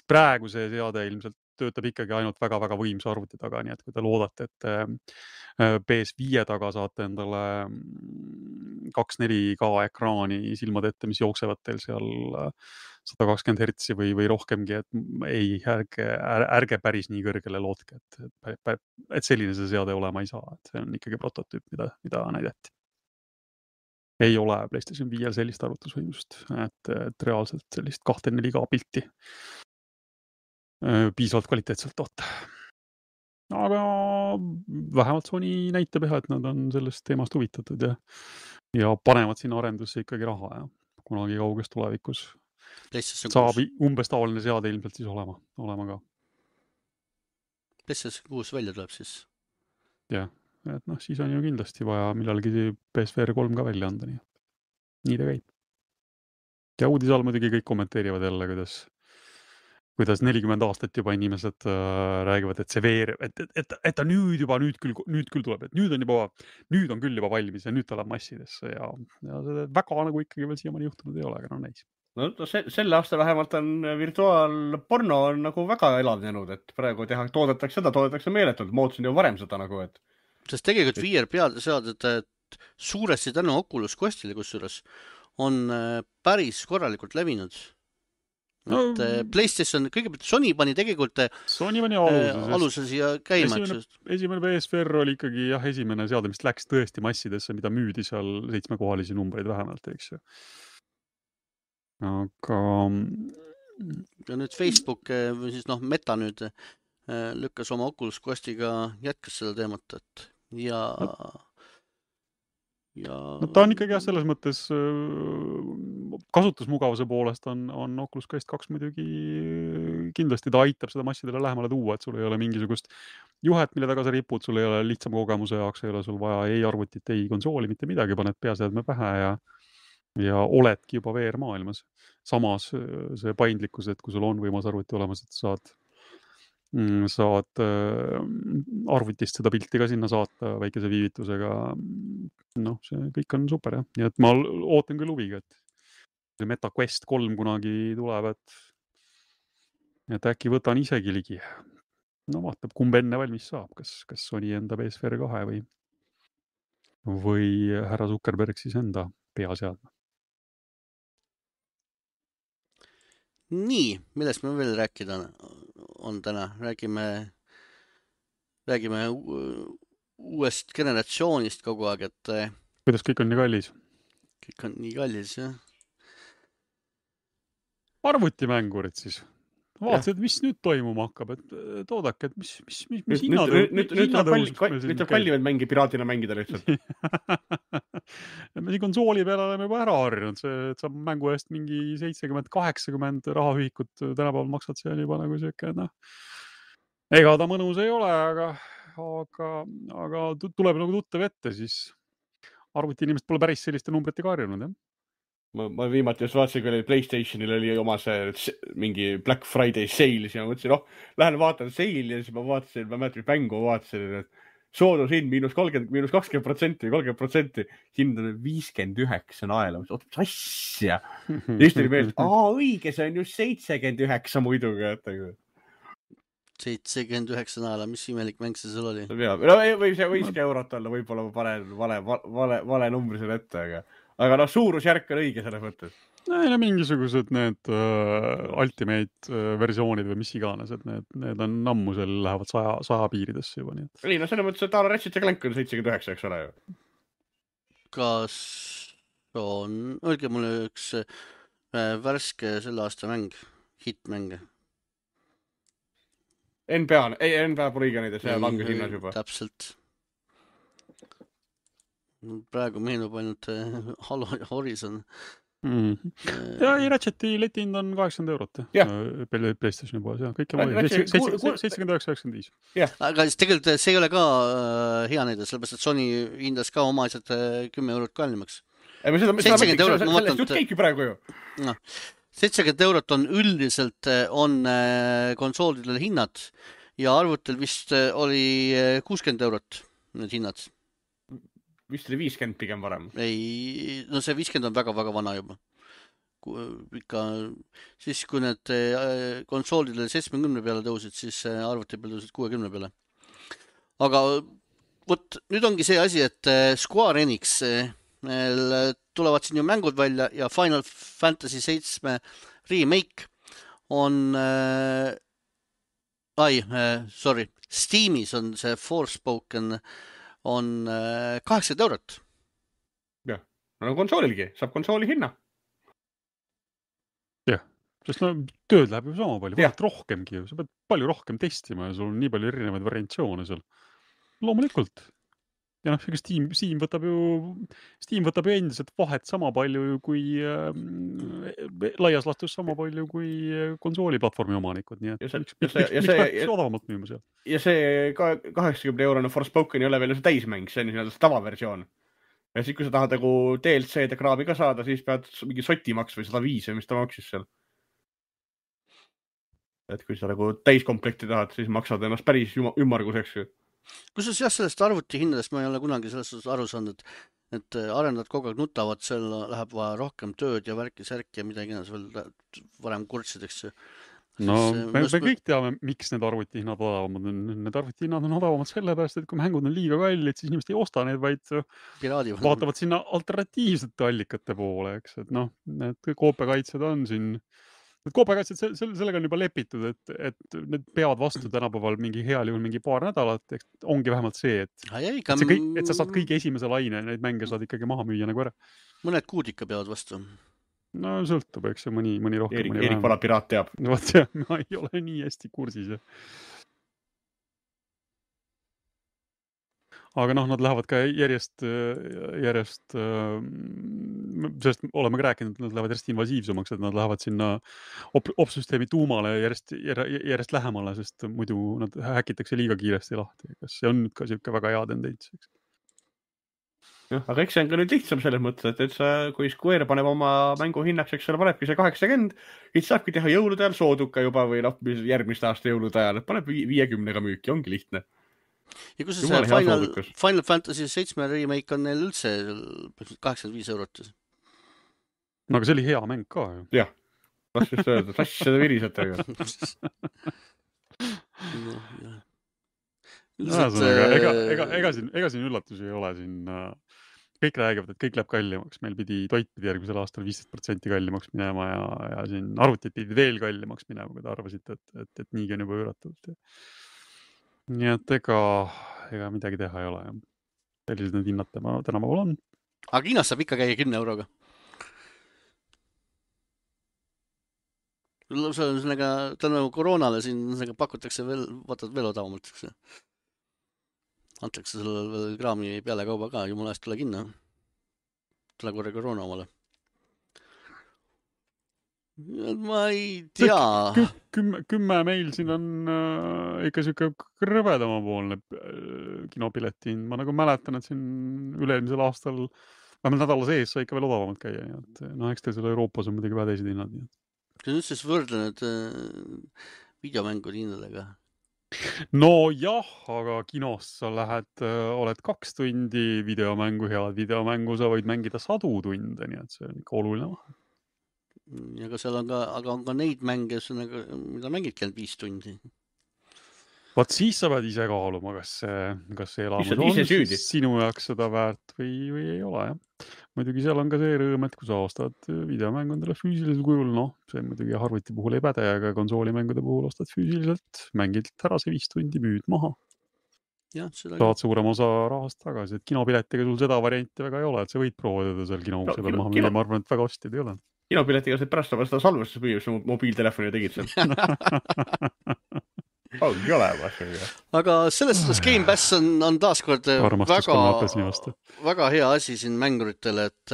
praegu see seade ilmselt töötab ikkagi ainult väga-väga võimsa arvuti taga, nii et kui te loodate, et PS5 taga saate endale 2-4K ekraani silmad ette, mis jooksevad teil seal 120 Hz või rohkemgi, et ei, ärge päris nii kõrgele lootke, et selline see seade olema ei saa, et see on ikkagi prototüüp, mida näidati. Ei ole PlayStation 5 sellist arvutusvõimsust, et reaalselt sellist 2-4K pilti piisavalt kvaliteetselt toota. Aga vähemalt Sony näitab et nad on sellest teemast huvitatud ja panevad sinna arendusse ikkagi raha ja kunagi kauges tulevikus saab umbes taoline seade ilmselt siis olema ka. PlayStation 6 välja tuleb siis? Jah, et siis on ju kindlasti vaja millalgi PSVR 3 ka välja anda, nii ta käib. Ja uudisal muidugi kõik kommenteerivad jälle, kuidas 40 aastat juba inimesed räägivad, et see VR, et ta nüüd küll tuleb, et nüüd on küll juba valmis ja nüüd ta läheb massidesse ja see väga nagu ikkagi veel siiamaani juhtunud ei ole, aga näis. Selle aasta vähemalt on virtuaalporno on nagu väga elavnenud, et praegu toodetakse meeletult, moodusin ju varem seda nagu, et. Sest tegelikult VR peaseaded suuresti tänu Oculus Questile kusjuures on päris korralikult levinud. et PlayStation, kõigepealt Sony pani tegelikult Sony pani aluse, aluse siia käima, esimene PSVR oli ikkagi esimene seade, mis läks tõesti massidesse, mida müüdi seal 7-kohalisi numbreid vähemalt, eks ju. Aga ja nüüd Facebook või siis Meta nüüd lükkas oma Oculus Questiga jätkas seda teemat, et no ta on ikkagi selles mõttes kasutusmugavuse poolest on Oculus Quest 2 muidugi kindlasti ta aitab seda massidele lähemale tuua, et sul ei ole mingisugust juhet, mille taga sa ripud, sul ei ole lihtsam kogemuse jaoks, ei ole sul vaja ei arvutit, ei konsooli, mitte midagi, paned peaseadme pähe ja oledki juba VR-maailmas. Samas see paindlikkus, et kui sul on võimas arvuti olemas, et saad arvutist seda pilti ka sinna saata väikese viivitusega. See kõik on super, jah. Nii et ma ootan küll huviga, et see Meta Quest 3 kunagi tuleb, et äkki võtan isegi ligi. Vaatab, kumb enne valmis saab, kas Sony enda PSVR 2 või härra Zuckerberg siis enda peaseadme. Nii, millest me veel rääkida on täna? Räägime uuest generatsioonist kogu aeg, et kuidas kõik on nii kallis? Kõik on nii kallis, jah. Arvutimängurid siis. Vaatasid, mis nüüd toimuma hakkab, et toodake, et mis nüüd tuleb kallimaid mänge piraatina mängida lihtsalt. Me siin konsooli peale oleme juba ära harjunud, et saab mängu eest mingi 70-80 rahaühikut tänapäeval maksad seal juba nagu siuke, ega ta mõnus ei ole, aga tuleb nagu tuttav ette, siis arvuti inimesed pole päris selliste numbritega harjunud, jah. Ma viimati just vaatasin, kui PlayStationil oli oma see mingi Black Friday sale, siis ma mõtlesin, lähen vaatan sale ja siis ma vaatasin, ma mäletan, mängu vaatasin, et soodushind -20%, 30%, hind on 59 naela. Oot, mis asja? Just oli meelest, õige, see on just 79 muidugi. 79 naela, mis imelik mäng see sul oli? Võib see võiski eurot olla, võib-olla ma panen vale numbri selle ette, aga suurusjärk on õige selles mõttes. Ja mingisugused need ultimate versioonid või mis iganes, et need on ammu seal lähevad 100 piiridesse juba. Ei, selles mõttes, et Ratchet & Clank on 79, eks ole ju. Kas on, öelge mulle üks värske selle aasta mäng, hitmäng. NBA pole õige neid, see langes hinnas juba. Täpselt. Praegu meenub ainult Halo ja Horizon. Ja Ratcheti letihind on 80 eurot PlayStationi poes, kõik on 79,95. Aga tegelikult see ei ole ka hea näide, sellepärast, et Sony hindas ka oma asjad 10 eurot kallimaks. 70 eurot, sellest just käibki praegu ju. 70 eurot on üldiselt konsoolidel hinnad ja arvutel vist oli 60 eurot need hinnad. Vist oli 50 pigem varem. Ei, see 50 on väga-väga vana juba. Siis kui need konsoolidele 70 peale tõusid, siis arvuti peale tõusid 60 peale. Aga nüüd ongi see asi, et Square Enix tulevad siin ju mängud välja ja Final Fantasy 7 remake on Steamis on see Forspoken on 80 eurot. Jah, konsoolilgi, saab konsooli hinna. Jah, sest tööd läheb ju sama palju, rohkemgi ju, sa pead palju rohkem testima ja sul on nii palju erinevaid variantsioone seal. Loomulikult. Ja Steam võtab ju endiselt vahet sama palju kui laias lastus sama palju kui konsooliplatvormi omanikud, nii et miks peaks odavamalt müüma seal? Ja see 80-eurone Forspoken ei ole veel see täismäng, see on tavaversioon. Ja siis, kui sa tahad DLC-d ja kraabi ka saada, siis pead mingi sotimaks või 105 või mis ta maksis seal. Et kui sa täiskomplekti tahad, siis maksad ennast päris ümmarguseks. Kusjuures jah, sellest arvuti hindadest ma ei ole kunagi sellest aru saanud, et arendajad kogu aeg nutavad, seal läheb vaja rohkem tööd ja värki-särki ja midagi veel varem kurtsideks. Me kõik teame, miks need arvutihinnad odavamad on. Need arvutihinnad on odavamad sellepärast, et kui mängud on liiga kallid, siis inimesed ei osta neid, vaid vaatavad sinna alternatiivsete allikate poole, eks. Et need koopiakaitsed on siin Koopakaitset sellega on juba lepitud, et need peavad vastu tänapäeval mingi heal juhul mingi paar nädalat, eks ongi vähemalt see, et sa saad kõige esimese laine, neid mänge saad ikkagi maha müüa nagu ära. Mõned kuud ikka peavad vastu. No sõltub, eks see mõni rohkem, mõni Erik vähem. Vana piraat teab. Vot jah, ma ei ole nii hästi kursis. Aga nad lähevad ka järjest, sest oleme ka rääkinud, et nad lähevad järjest invasiivsumaks, et nad lähevad sinna opsüsteemi tuumale järjest lähemale, sest muidu nad häkitakse liiga kiiresti lahti. Kas see on nüüd ka selline väga hea tendents? Aga eks see on ka nüüd lihtsam selles mõttes, et sa, kui Square paneb oma mängu hinnaks, eks selle panebki see 80, siis saabki teha jõulude ajal sooduka juba või järgmist aasta jõulude ajal, et paneb 50-ga müüki, ongi lihtne. Ja kus see Final Fantasy 7 remake on neil üldse 85 €? No aga see oli hea mäng ka ju. Jah, las just öelda, sass seda virisatega. Ega siin üllatusi ei ole siin. Kõik räägivad, et kõik läheb kallimaks. Meil pidi toit pidi järgmisel aastal 15% kallimaks minema ja siin arvutid pidi veel kallimaks minema, kui te arvasite, et niigi on juba üüratud. Nii et ega midagi teha ei ole. Sellised need hinnad tänapäeval on. Aga Hiinas saab ikka käia 10 €. Tänu koroonale siin pakutakse veel odavamalt. Antakse sulle veel kraami peale kauba ka, jumala eest tule kinno. Tule korra koroona omale. Ma ei tea. 10 meil siin on ikka siuke krõvedamapoolne kinopileti. Ma nagu mäletan, et siin üle-eelmisel aastal vähemalt nädala sees sai ikka veel odavamalt käia. Eks teil selle Euroopas on muidugi väga teised hinnad. Kas nüüd siis võrdlenud videomängude hindadega? No jah, aga kinos sa oled 2 tundi videomängu, head videomängu, sa võid mängida 100 tunde, nii et see on ikka oluline vahe. Ja aga seal on ka neid mänge, mida mängidki ainult 5 tundi. Vaat siis sa pead ise kaaluma, kas see elamus on sinu jaoks seda väärt või ei ole. Jah. Muidugi seal on ka see rõõm, et kui sa ostad videomängudele füüsilisel kujul, see muidugi arvuti puhul ei päde, aga konsooli-mängude puhul ostad füüsiliselt, mängid ära see 5 tundi, müüd maha. Ja, saad suurem osa rahast tagasi, et kinopiletiga sul seda varianti väga ei ole, et sa võid proovida seal kinoukse peal maha müüa, ma arvan, et väga ostjad ei ole. Kinopiletiga said pärast seda salvestust müüa, kui mobiiltelefoni tegid seal. Ongi olemas. Aga selles suhtes Game Pass on taaskord väga hea asi siin mänguritele, et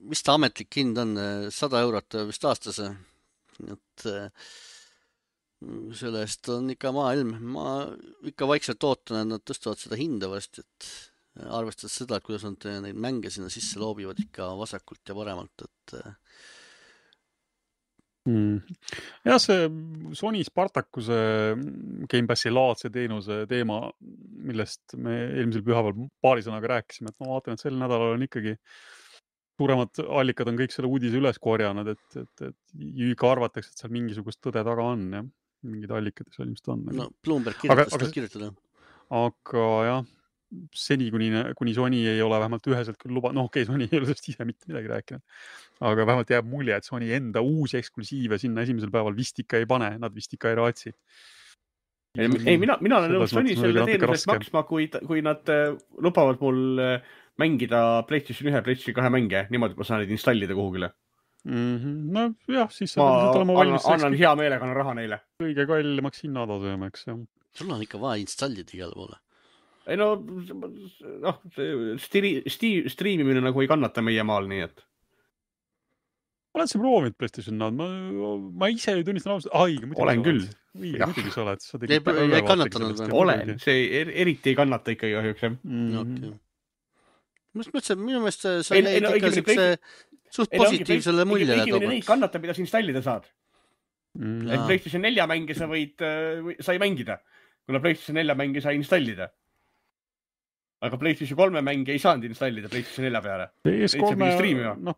mis ta ametlik hind on, 100 € vist aastase. Et sellest on ikka maailm. Ma ikka vaikselt ootan, et nad tõstavad seda hinda vast, et arvestades seda, et kuidas nad neid mänge sinna sisse loobivad ikka vasakult ja paremalt, et Ja see Sony Spartacuse Game Passi laadse teenuse teema, millest me eelmisel pühapäeval paari sõnaga rääkisime, et ma vaatan, et sel nädalal on ikkagi suuremad allikad on kõik selle uudise üles korjanud, et ikka arvatakse, et seal mingisugust tõde taga on, jah. Mingid allikad seal ilmselt on. No Bloomberg kirjutada. Aga jah, seni kuni Sony ei ole vähemalt üheselt küll Sony ei ole sellest ise mitte midagi rääkinud. Aga vähemalt jääb mulje, et Sony enda uusi eksklusiive sinna esimesel päeval vist ikka ei pane, nad vist ikka ei raatsi. Ei, mina olen nõus Sony selle teenusest maksma, kui nad lubavad mul mängida PlayStation 1, PlayStation 2 mänge, niimoodi ma saan neid installida kuhugile. No jah, siis ma annan hea meelega raha neile. Kõige kallimaks hinnatasemeks. Sul on ikka vaja installida igale poole. Ei striimimine nagu ei kannata meie maal, nii et. Oled sa proovinud PlayStation Now'd? Ma ise ei tunnistan ausalt. Olen küll. Muidugi sa oled. Ei kannatanud. Olen. See eriti ei kannata ikkagi kahjuks. Minu meelest sa jäid ikka siukse suht positiivsele muljele. Neid kannata, mida sa installida saad. Et PlayStation 4 mänge sa ei mängida, kuna PlayStation 4 mänge sai installida. Aga PlayStation 3 mänge ei saanud installida PlayStation 4 peale.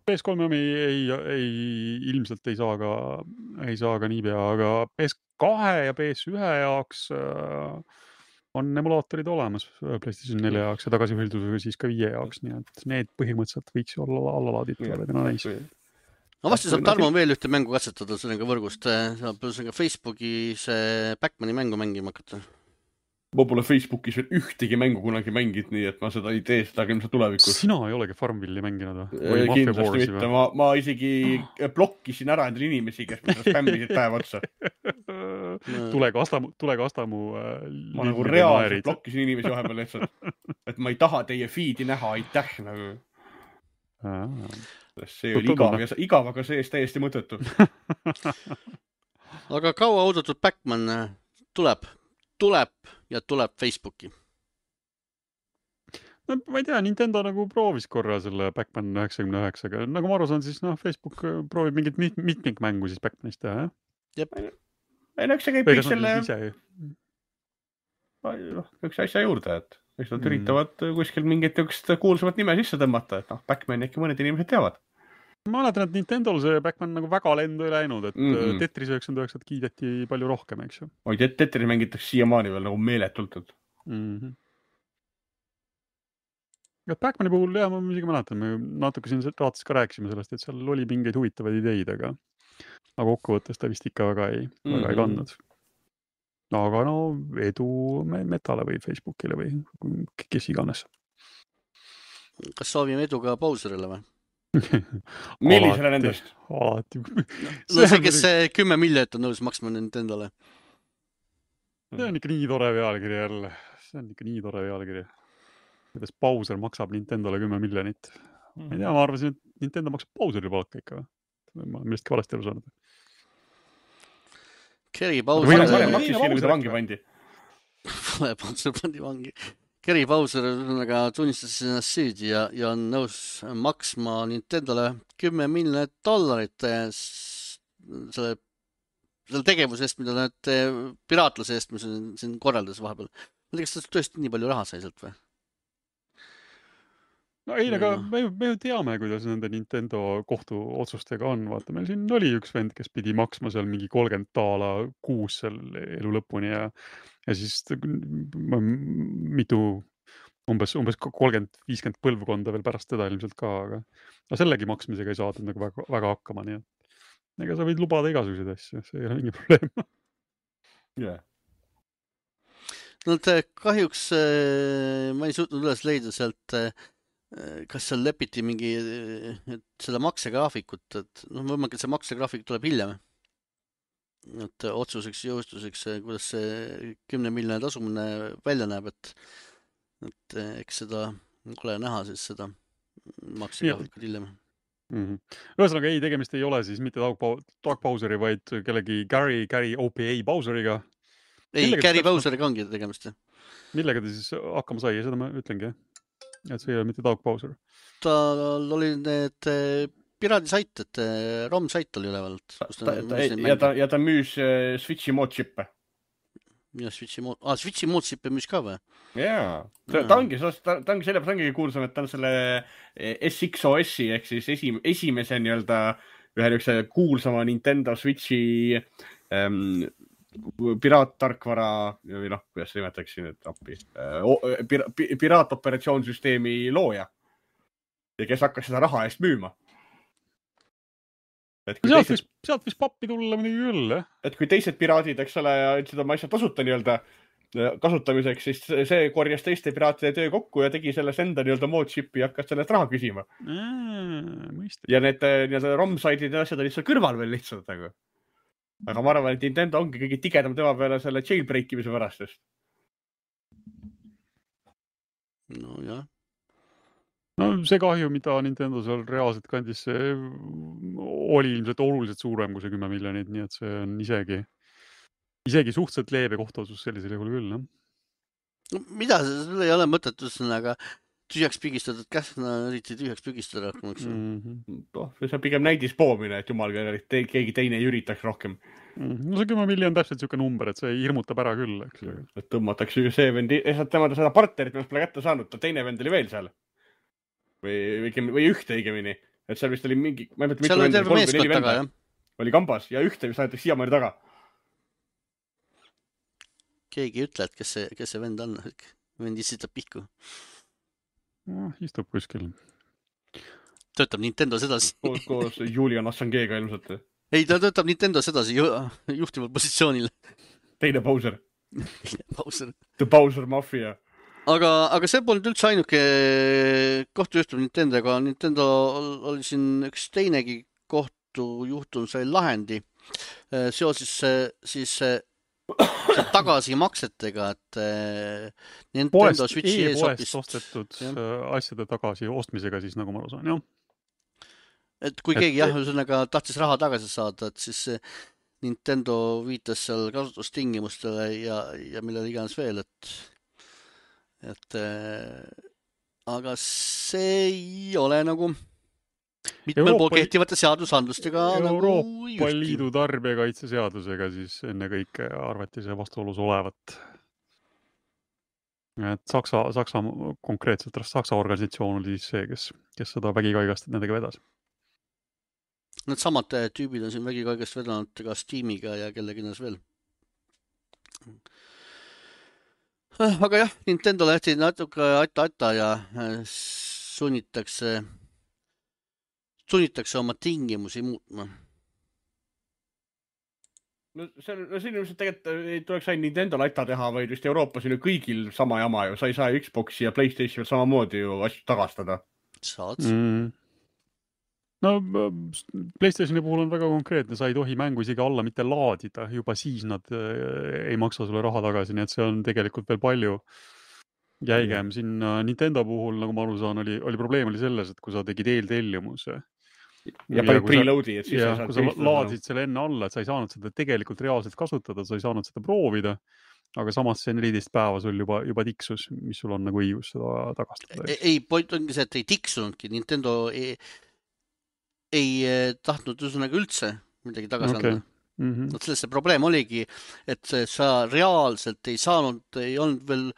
PS3 ilmselt ei saa ka niipea, aga PS2 ja PS1 jaoks on emulaatorid olemas PlayStation 4 jaoks ja tagasihõldusega siis ka 5 jaoks, nii et need põhimõtteliselt võiks olla allalaaditud. no vasti saab Tarmo veel ühte mängu katsetada sellega võrgust. Saab ka Facebooki see Backmani mängu mängima hakata. Ma pole Facebookis veel ühtegi mängu kunagi mängid, nii et ma seda ei tee seda ilmselt tulevikus. Sina ei olegi Farmvilli mänginud või? Kindlasti mitte. Ma isegi blokkisin ära endale inimesi, kes mida spämmisid päev otsa. Tulega Astamu ma nagu reaalselt blokkisin inimesi vahepeal lihtsalt. Et ma ei taha teie feed'i näha, aitäh nagu. See oli igav, aga see eest täiesti mõttetu. Aga kaua oodatud Backman tuleb Facebooki. No, ma ei tea, Nintendo nagu proovis korra selle Backman 99-ga. Nagu ma aru saan, siis Facebook proovib mingit mitmikmängu siis Backmanist teha, jah? Jep. Ei, no, eks see käib kõik selle... Üks asja juurde, et eks nad üritavad kuskil mingit kuulsamat nime sisse tõmmata, et Backman äkki mõned inimesed teavad. Ma mäletan, et Nintendol see Backman nagu väga lendu ei läinud, et Tetris 99 kiideti palju rohkem, eks ju. Oi, Tetris mängitakse siiamaani veel nagu meeletult. Backmani puhul, jah, ma isegi mäletan, me natuke siin raates ka rääkisime sellest, et seal oli mingeid huvitavaid ideid, aga kokkuvõttes ta vist ikka väga ei kandnud. Aga no edu Metale või Facebookile või kes iganes. Kas soovime edu ka Bowserile või? Millisele nendest? Alati. No see, kes 10 miljonit on nõus maksma Nintendole. See on ikka nii tore pealkiri jälle. See on ikka nii tore pealkiri. Kuidas Bowser maksab Nintendole 10 miljonit. Ma ei tea, ma arvasin, et Nintendo maksab Bowseri palka ikka. Ma millestki valesti aru saanud. Kerry Bowser... maksis siin, kui ta vangi pandi. Bowser pandi vangi. Kerry Bowser tunnistas ennast süüdi ja on nõus maksma Nintendole $10 miljonit selle tegevuse eest, mida nad piraatlase eest, mis on siin korraldas vahepeal. Ma tea, kas ta tõesti nii palju raha sai sealt või? No ei, aga me ju teame, kuidas nende Nintendo kohtuotsustega on. Vaata, meil siin oli üks vend, kes pidi maksma seal mingi $30 kuus seal elu lõpuni ja siis mitu, umbes 30-50 põlvkonda veel pärast teda ilmselt ka, aga sellegi maksmisega ei saadud nagu väga hakkama, nii et ega sa võid lubada igasuguseid asju, see ei ole mingi probleem. Yeah. No kahjuks ma ei suutnud üles leida sealt, kas seal lepiti mingi selle maksegraafikut, et võimalik, et see maksegraafik tuleb hiljem. Et otsuseks jõustuseks, kuidas see 10 miljoni tasumine välja näeb, et eks seda ole näha siis seda maksegraafikut hiljem. Ühesõnaga ei, tegemist ei ole siis mitte Doug Bowseri, vaid kellegi Gary OPA Bowseriga. Ei, Gary Bowseriga ongi tegemist. Millega ta siis hakkama sai, seda ma ütlengi, et see ei ole mitte Doug Bowser. Tal oli need piraadisait, et ROM-sait oli ülevalt. Ja ta müüs Switchi mod-chippe. Ja Switchi mod-chippe müüs ka või? Jaa. Ta ongi sellepärast ongi kuulsam, et ta on selle SXOS-i ehk siis esimese nii-öelda ühe kuulsama Nintendo Switchi piraattarkvara või kuidas see nimetaks siin appi, piraatoperatsioonsüsteemi looja ja kes hakkas seda raha eest müüma. Sealt võis pappi tulla midagi küll, jah? Et kui teised piraadid, eks ole, ütlesid oma asja tasuta nii-öelda kasutamiseks, siis see korjas teiste piraatide töö kokku ja tegi sellest enda nii-öelda mod-chipi ja hakkas sellest raha küsima. Ja need nii-öelda ROM-saidid ja asjad olid seal kõrval veel lihtsalt. Aga ma arvan, et Nintendo ongi kõige tigedam tema peale selle jailbreakimise pärastest. No jah. No see kahju, mida Nintendo seal reaalselt kandis, see oli ilmselt oluliselt suurem kui see 10 miljonit, nii et see on isegi suhteliselt leebe kohtuotsus sellisel juhul küll. No, mida, sul ei ole mõtet aga tühjaks pigistatud käsna, eriti tühjaks pigistada rohkem, eks? See on pigem näidispoomine, et jumal, keegi teine ei üritaks rohkem. No see 10 miljon täpselt siuke number, et see hirmutab ära küll, eks. Et tõmmatakse see vendi, temada seda partnerit, mis pole kätte saanud, ta teine vend oli veel seal. Või ühte õigemini. Et seal vist oli mingi... Seal oli terve meeskond taga, jah. Oli kambas ja ühte vist aetakse siiamaani taga. Keegi ei ütle, et kes see vend on. Vend isitab pihku. Istub kuskil. töötab Nintendos edasi. koos Julian Assangeega ilmselt. Ei, ta töötab Nintendos edasi juhtival positsioonil. Teine Bowser. Bowser. The Bowser Mafia. Aga see polnud üldse ainuke kohtujuhtum Nintendoga. Nintendo oli siin üks teinegi kohtujuhtum sai lahendi seoses siis tagasimaksetega, et Nintendo Switchi e-poest ostetud asjade tagasi ostmisega siis, nagu ma saan, jah. Et kui keegi ühesõnaga tahtis raha tagasi saada, et siis Nintendo viitas seal kasutustingimustele ja millele iganes veel, et aga see ei ole nagu mitmel pool kehtivate seadusandlustega Euroopa Liidu tarbijakaitseseadusega siis enne kõike arvati see vastuolus olevat. Et Saksa konkreetselt Saksa organisatsioon oli siis see, kes seda vägikaigast nendega vedas. Need samad tüübid on siin vägikaigast vedanud ka Steamiga ja kellegines veel. Aga jah, Nintendo lähti natuke aita ja sunnitakse oma tingimusi muutma. No siin ilmselt tegelikult ei tuleks ainult Nintendo laita teha, vaid vist Euroopas on ju kõigil sama jama ju. Sa ei saa Xboxi ja PlayStation samamoodi ju asju tagastada. Saad. No PlayStationi puhul on väga konkreetne, sa ei tohi mängu isegi alla mitte laadida, juba siis nad ei maksa sulle raha tagasi, nii et see on tegelikult veel palju jäigem. Siin Nintendo puhul, nagu ma aru saan, oli probleem oli selles, et kui sa tegid eeltellimuse ja panid preloadi, et siis ja kui sa laadisid selle enne alla, et sa ei saanud seda tegelikult reaalselt kasutada, sa ei saanud seda proovida, aga samas see 14 päeva sul juba tiksus, mis sul on nagu õigus seda tagastada. Ei, point ongi see, et ei tiksunudki. Nintendo ei tahtnud üldse midagi tagasi anda. Sellest see probleem oligi, et sa reaalselt ei olnud veel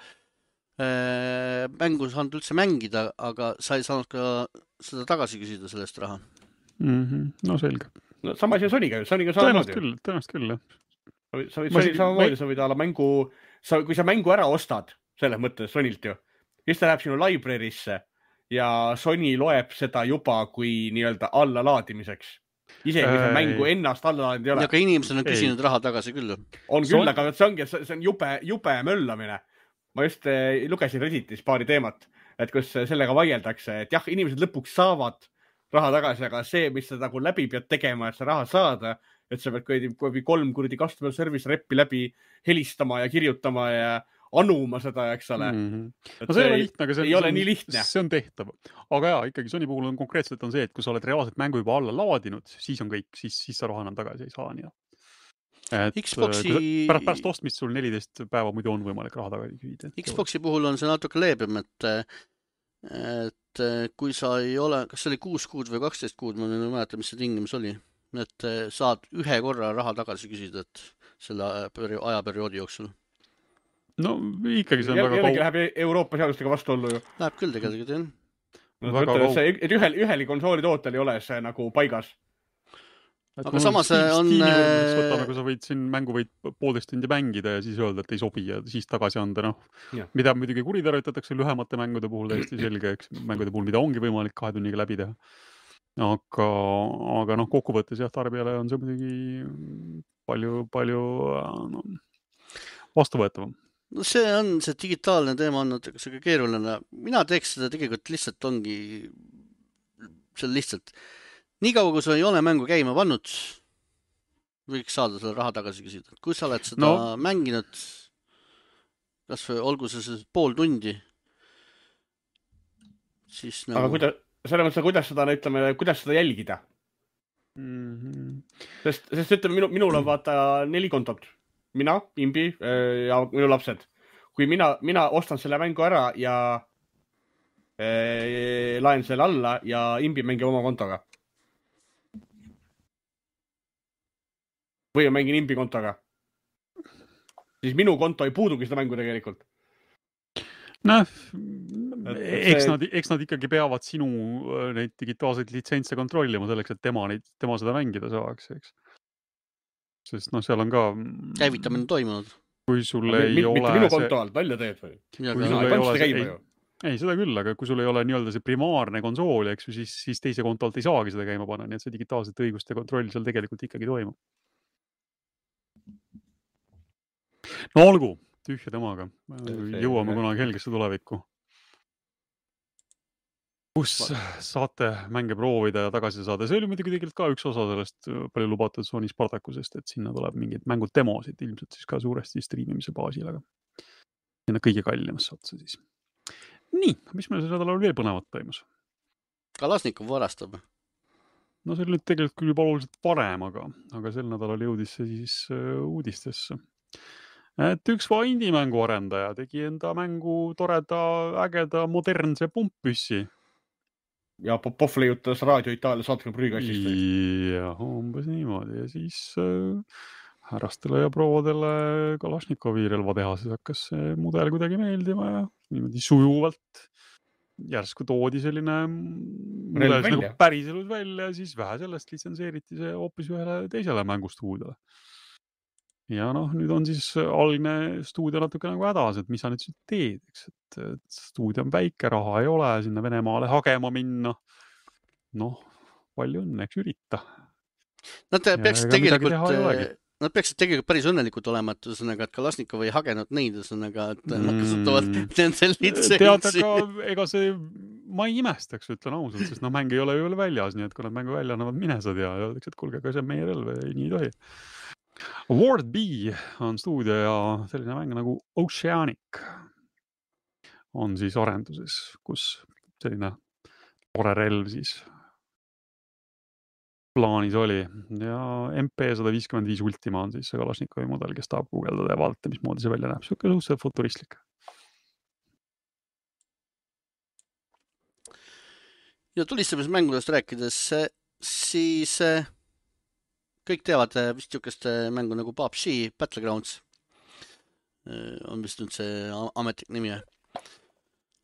mängu saanud üldse mängida, aga sa ei saanud ka seda tagasi küsida sellest raha. No selge. No, sama asi on Soniga. Soniga samamoodi. Tõenäoliselt küll, jah. Sa võid samamoodi, sa võid alla mängu, kui sa mängu ära ostad, selles mõttes Sonilt ju, siis ta läheb sinu library'sse ja Sony loeb seda juba kui nii-öelda allalaadimiseks. Isegi see mängu ennast allalaadinud ei ole. Aga inimesed on küsinud raha tagasi küll. On küll, aga see on jube möllamine. Ma just lugesin Redditis paari teemat, et kus sellega vaieldakse, et jah, inimesed lõpuks saavad raha tagasi, aga see, mis sa nagu läbi pead tegema, et sa raha saada, et sa pead 3 customer service reppi läbi helistama ja kirjutama ja anuma seda, eks ole. No see ei ole lihtne, aga ei ole nii lihtne. See on tehtav. Aga jaa, ikkagi Sony puhul on konkreetselt on see, et kui sa oled reaalselt mängu juba alla laadinud, siis on kõik, siis sa raha enam tagasi ei saa. Nii. Et pärast ostmist sul 14 päeva muidu on võimalik raha tagasi küsida. Xboxi puhul on see natuke leebem, et kui sa ei ole, kas see oli 6 kuud või 12 kuud, ma ei mäleta, mis see tingimus oli, et saad ühe korra raha tagasi küsida, et selle ajaperioodi jooksul. No ikkagi see on väga kaugel. Läheb Euroopa seadustega vastuollu ju. Läheb küll tegelikult, jah. Et üheli konsooli tootel ei ole see nagu paigas. Aga samas on... Võtame, kui sa võid siin mängu võid 1,5 tundi mängida ja siis öelda, et ei sobi ja siis tagasi anda. Mida muidugi kuritarvitatakse lühemate mängude puhul täiesti selge, eks mängude puhul, mida ongi võimalik 2 tunniga läbi teha. Aga kokkuvõttes jah, tarbijale on see muidugi palju vastuvõetavam. No see digitaalne teema on natuke keeruline. Mina teeks seda tegelikult lihtsalt ongi seal lihtsalt. Nii kaua, kui sa ei ole mängu käima pannud, võiks saada selle raha tagasi küsida. Kui sa oled seda mänginud, kas või olgu see pool tundi, siis nagu... Aga selle mõttes, kuidas seda jälgida? Sest ütleme, minul on vaata 4 kontot. Mina, Imbi ja minu lapsed. Kui mina ostan selle mängu ära ja laen selle alla ja Imbi mängib oma kontoga. Või mängin Imbi kontoga. Siis minu konto ei puudugi seda mängu tegelikult. Eks nad ikkagi peavad sinu neid digitaalseid litsentse kontrollima selleks, et tema seda mängida saaks, eks. Sest seal on ka... Käivitamine toimunud. Kui sul ei ole... Mitte minu konto alt, välja teed või? Ei, seda küll, aga kui sul ei ole nii-öelda see primaarne konsool, eks ju, siis teise konto alt ei saagi seda käima panna, nii et see digitaalsete õiguste kontroll seal tegelikult ikkagi toimub. No olgu, tühja temaga. Jõuame kunagi helgesse tulevikku. Kus saate mänge proovida ja tagasi saada. See oli muidugi tegelikult ka üks osa sellest palju lubatud Sony Spartacusest, et sinna tuleb mingid mängud demosid, ilmselt siis ka suuresti streamimise baasil, aga sinna kõige kallimasse otsa siis. Nii, mis meil see nädalal veel põnevat toimus? Kalasnikov varastab. No see oli nüüd tegelikult küll juba oluliselt varem, aga sel nädalal jõudis see siis uudistesse. Et üks indie-mängu arendaja tegi enda mängu toreda, ägeda, modernse pumppüssi. Ja Popov leiutas Raadio Itaalia saatme prügikastist. Ja umbes niimoodi. Ja siis härrastele ja prouadele Kalašnikovi relvatehases hakkas see mudel kuidagi meeldima ja niimoodi sujuvalt järsku toodi selline mudel nagu päriselus välja ja siis vähe sellest litsenseeriti see hoopis ühele teisele mängustuudiole. Ja noh, nüüd on siis algne stuudio natuke nagu hädas, et mis sa nüüd siis teed, eks, et stuudio on väike, raha ei ole, sinna Venemaale hagema minna. Noh, palju õnne, eks ürita. Nad peaksid tegelikult päris õnnelikud olema, et ühesõnaga, et Kalasnikov ei hagenud neid, ühesõnaga, et nad kasutavad nende litsentsi. Tead, aga ega see, ma ei imestaks, ütlen ausalt, sest noh, mäng ei ole ju väljas, nii et kui nad mängu välja annavad, mine sa tea, ja öeldakse, et kuulge, aga see on meie relv, nii ei tohi. Ward B on stuudio ja selline mäng nagu Oceanic on siis arenduses, kus selline tore relv siis plaanis oli ja MP155 Ultima on siis see Kalašnikovi mudel, kes tahab guugeldada ja vaadata, mismoodi see välja näeb. Siuke suhteliselt futuristlik. Ja tulistamismängudest rääkides, siis kõik teavad vist niisugust mängu nagu PUBG Battlegrounds. On vist nüüd see ametlik nimi.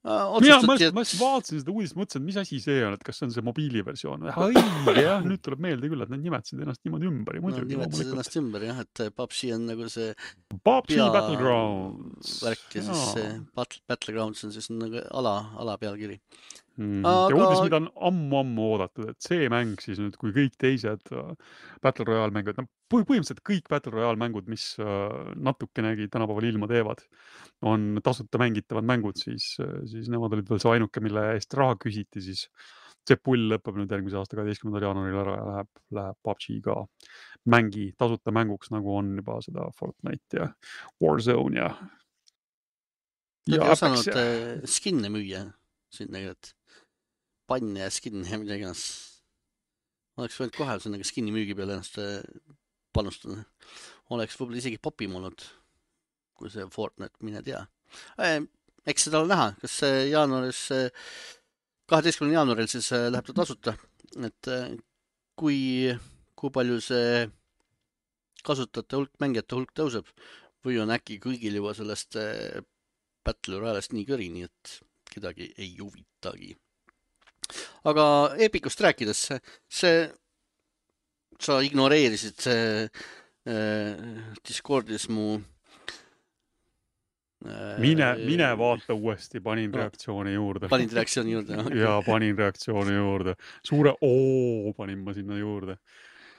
Ma vaatasin seda uudist, mõtlesin, et mis asi see on, et kas see on see mobiiliversioon. Jah, nüüd tuleb meelde küll, et nad nimetasid ennast niimoodi ümber. Nimetasid ennast ümber, jah, et PUBG on nagu see PUBG Battlegrounds värk ja siis see Battlegrounds on siis nagu ala pealkiri. Ja uudis, mida on ammu oodatud, et see mäng siis nüüd, kui kõik teised Battle Royale mängud, põhimõtteliselt kõik Battle Royale mängud, mis natukenegi tänapäeval ilma teevad, on tasuta mängitavad mängud, siis nemad olid veel see ainuke, mille eest raha küsiti, siis see pull lõpeb nüüd järgmise aasta 12. jaanuaril ära ja läheb PUBG ka tasuta mänguks, nagu on juba seda Fortnite ja Warzone ja Nad ei osanud skinne müüa sinna, et panne ja skin ja midagi ennast. Oleks võinud kohe sinna skinni müügi peale ennast panustada. Oleks võib-olla isegi popim olnud, kui see Fortnite, mine tea. Eks seda ole näha, kas jaanuaris, 12. jaanuaril siis läheb ta tasuta, et kui palju see kasutajate hulk, mängijate hulk tõuseb või on äkki kõigil juba sellest Battle Royale'st nii kõri, nii et kedagi ei huvitagi. Aga Epicust rääkides, sa ignoreerisid Discordis mu Mine vaata uuesti, panin reaktsiooni juurde. Ja panin reaktsiooni juurde. Suure panin ma sinna juurde.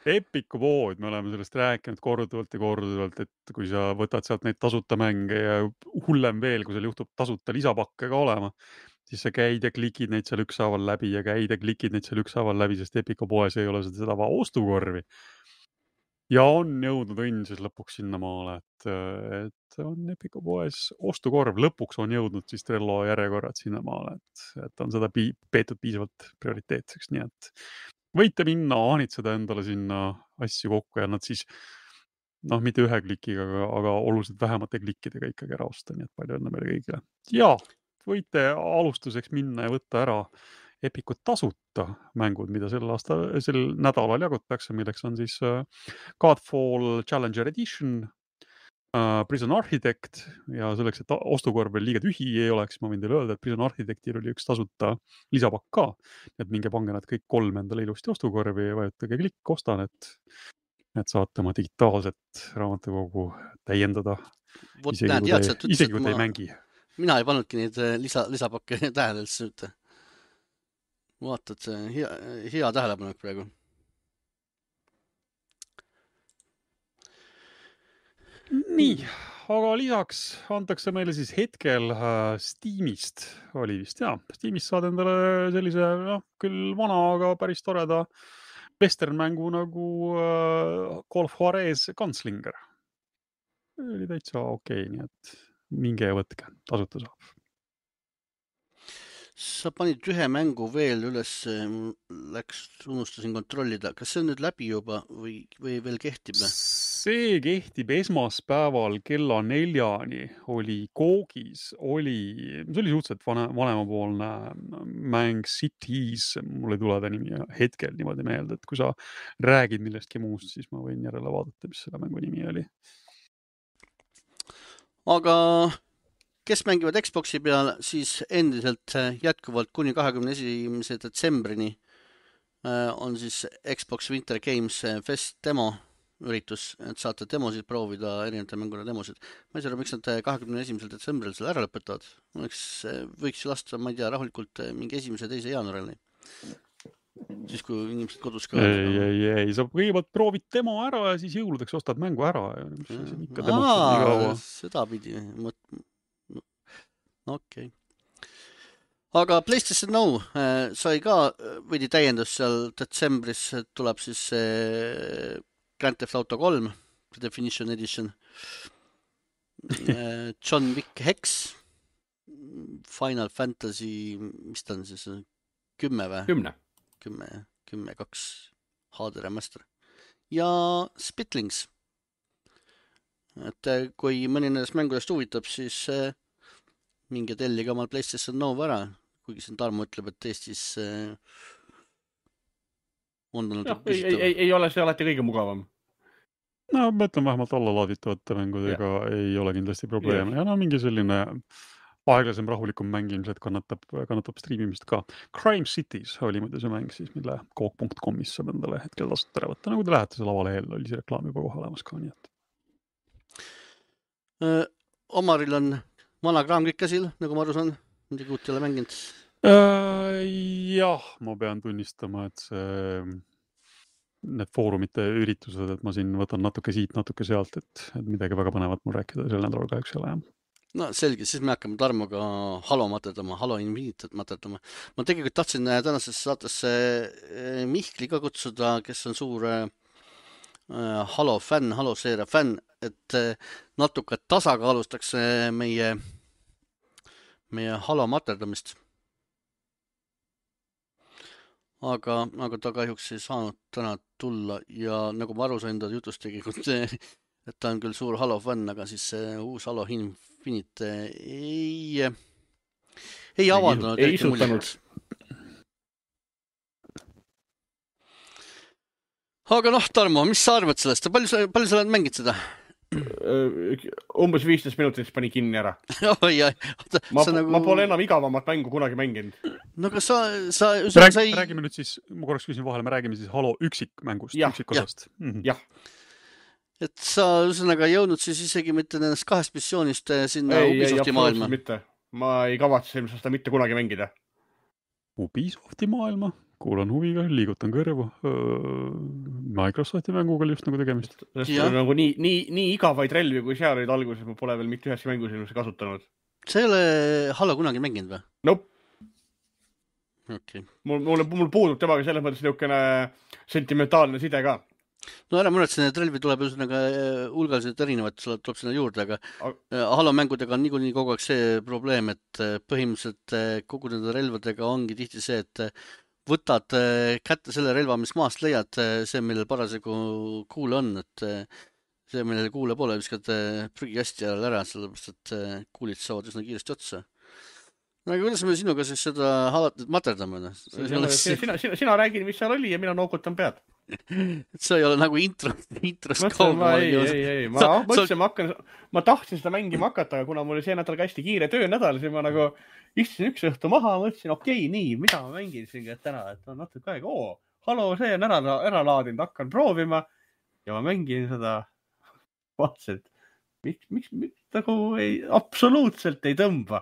Epicu pood, me oleme sellest rääkinud korduvalt, et kui sa võtad sealt neid tasuta mänge ja hullem veel, kui seal juhtub tasuta lisapakke ka olema, siis sa käid ja klikid neid seal ükshaaval läbi ja klikid neid seal ükshaaval läbi, sest Epicu poes ei ole seda ostukorvi. Ja on jõudnud õnn siis lõpuks sinna maale, et on Epicu poes ostukorv. Lõpuks on jõudnud siis Trello järjekorrad sinna maale, et on seda peetud piisavalt prioriteetseks, nii et võite minna, ahnitseda endale sinna asju kokku ja nad siis, mitte ühe klikiga, aga oluliselt vähemate klikkidega ikkagi ära osta, nii et palju õnne meile kõigile. Ja võite alustuseks minna ja võtta ära Epicu tasuta mängud, mida sel nädalal jagutakse, milleks on siis Godfall Challenger Edition, Prison Architect ja selleks, et ostukorv veel liiga tühi ei oleks, ma võin teile öelda, et Prison Architectil oli üks tasuta lisapakk ka, et minge pange nad kõik 3 endale ilusti ostukorvi ja vajutage klikk, ostan, et saate oma digitaalset raamatukogu täiendada, isegi kui te ei mängi. mina ei pannudki neid lisapakke tähele üldse mitte. Vaatad, hea tähelepanek praegu. Nii, aga lisaks antakse meile siis hetkel Steamist, oli vist, Steamist saad endale sellise, küll vana, aga päris toreda western-mängu nagu Call of Juarez Gunslinger. Oli täitsa okei, nii et minge ja võtke, tasuta saab. Sa panid ühe mängu veel üles, unustasin kontrollida. Kas see on nüüd läbi juba või veel kehtib? See kehtib esmaspäeval kella 4-ni oli koogis, see oli suhteliselt vanemapoolne mäng Cities, mul ei tule ta nimi hetkel niimoodi meelde, et kui sa räägid millestki muust, siis ma võin järele vaadata, mis selle mängu nimi oli. Aga kes mängivad Xboxi peal, siis endiselt jätkuvalt kuni 21. detsembrini on siis Xbox Winter Games Fest demo üritus, et saate demosid proovida, erinevate mängude demosid. Ma ei saa, miks nad 21. detsembril selle ära lõpetavad. Võiks ju lasta, ma ei tea, rahulikult mingi 1.2. jaanuarini. Siis kui inimesed kodus ka... Ei, sa kõigepealt proovid demo ära ja siis jõuludeks ostad mängu ära. Seda pidi. Okei. Aga PlayStation Now sai ka võidi täiendus seal detsembris, tuleb siis Grand Theft Auto 3, Definition Edition, John Wick Hex, Final Fantasy, mis ta on siis, 10 või? 10.2 HD remaster ja Spitlings. Et kui mõni nendest mängudest huvitab, siis minge tellige omal PlayStation Now ära, kuigi siin Tarmo ütleb, et Eestis on ei ole see alati kõige mugavam. No, ma ütlen vähemalt allalaaditavate mängudega ei ole kindlasti probleeme. Ja mingi selline aeglasem rahulikum mäng ilmselt kannatab striimimist ka. Crime Cities oli muidu see mäng siis, mille koog.comis saab endale hetkel tasuta ära võtta. Nagu te lähete selle avalehel, oli see reklaam juba kohe olemas ka, nii et. Omaril on vana kraam kõik käsil, nagu ma aru saan, midagi uut ei ole mänginud. Jah, ma pean tunnistama, et need foorumite üritused, et ma siin võtan natuke siit, natuke sealt, et midagi väga põnevat mul rääkida sel nädalal kahjuks ei ole. No selge, siis me hakkame Tarmoga Halo materdama, Halo Infinitet materdama. Ma tegelikult tahtsin tänasesse saatesse Mihkli ka kutsuda, kes on suur Halo fänn, Halo seeria fänn, et natuke tasakaalustaks meie Halo materdamist. Aga ta kahjuks ei saanud täna tulla ja nagu ma aru sain ta jutust tegelikult, et ta on küll suur Halo fänn, aga siis uus Halo Infinite ei avaldanud. Ei isutanud. Aga Tarmo, mis sa arvad sellest? Palju sa oled mängid seda? Umbes 15 minutit pani kinni ära. Ma pole enam igavamat mängu kunagi mänginud. No aga räägime nüüd siis, ma korraks küsin vahele, me räägime siis Halo üksikmängust, üksikosast. Jah. Et sa üsõnaga jõudnud siis isegi mitte nendest 2 missioonist sinna Ubisofti maailma? Mitte. Ma ei kavatse ilmselt seda mitte kunagi mängida. Ubisofti maailma? Kuulan huviga, liigutan kõrvu. Microsofti mänguga oli just nagu tegemist. Nagu nii igavaid relvi, kui seal olid alguses, ma pole veel mitte ühes mängus ilmselt kasutanud. Sa ei ole Halo kunagi mänginud või? Nope. Okay. Mul puudub temaga selles mõttes niisugune sentimentaalne side ka. No ära mõned need relvi tuleb üsõnaga hulgaliselt erinevad, tuleb sinna juurde, aga Halo mängudega on niikuinii kogu aeg see probleem, et põhimõtteliselt kogu nende relvadega ongi tihti see, et võtad kätte selle relva, mis maast leiad, see, millel parasjagu kuule on, et see, millel kuule pole, viskad prügikasti ära, sellepärast, et kuulid saavad üsna kiiresti otsa. No aga kuidas me sinuga siis seda halatud materdame? Sina räägid, mis seal oli ja mina noogutan pead. Et sa ei ole nagu intros ei. Ma tahtsin seda mängima hakata, aga kuna mul oli see nädal hästi kiire töönädal, siis ma nagu istusin üks õhtu maha, mõtlesin, okei, nii, mida ma mängin siin täna, et on natuke aega, Halo, see on ära laadinud, hakkan proovima ja ma mängin seda vaatselt. miks nagu absoluutselt ei tõmba.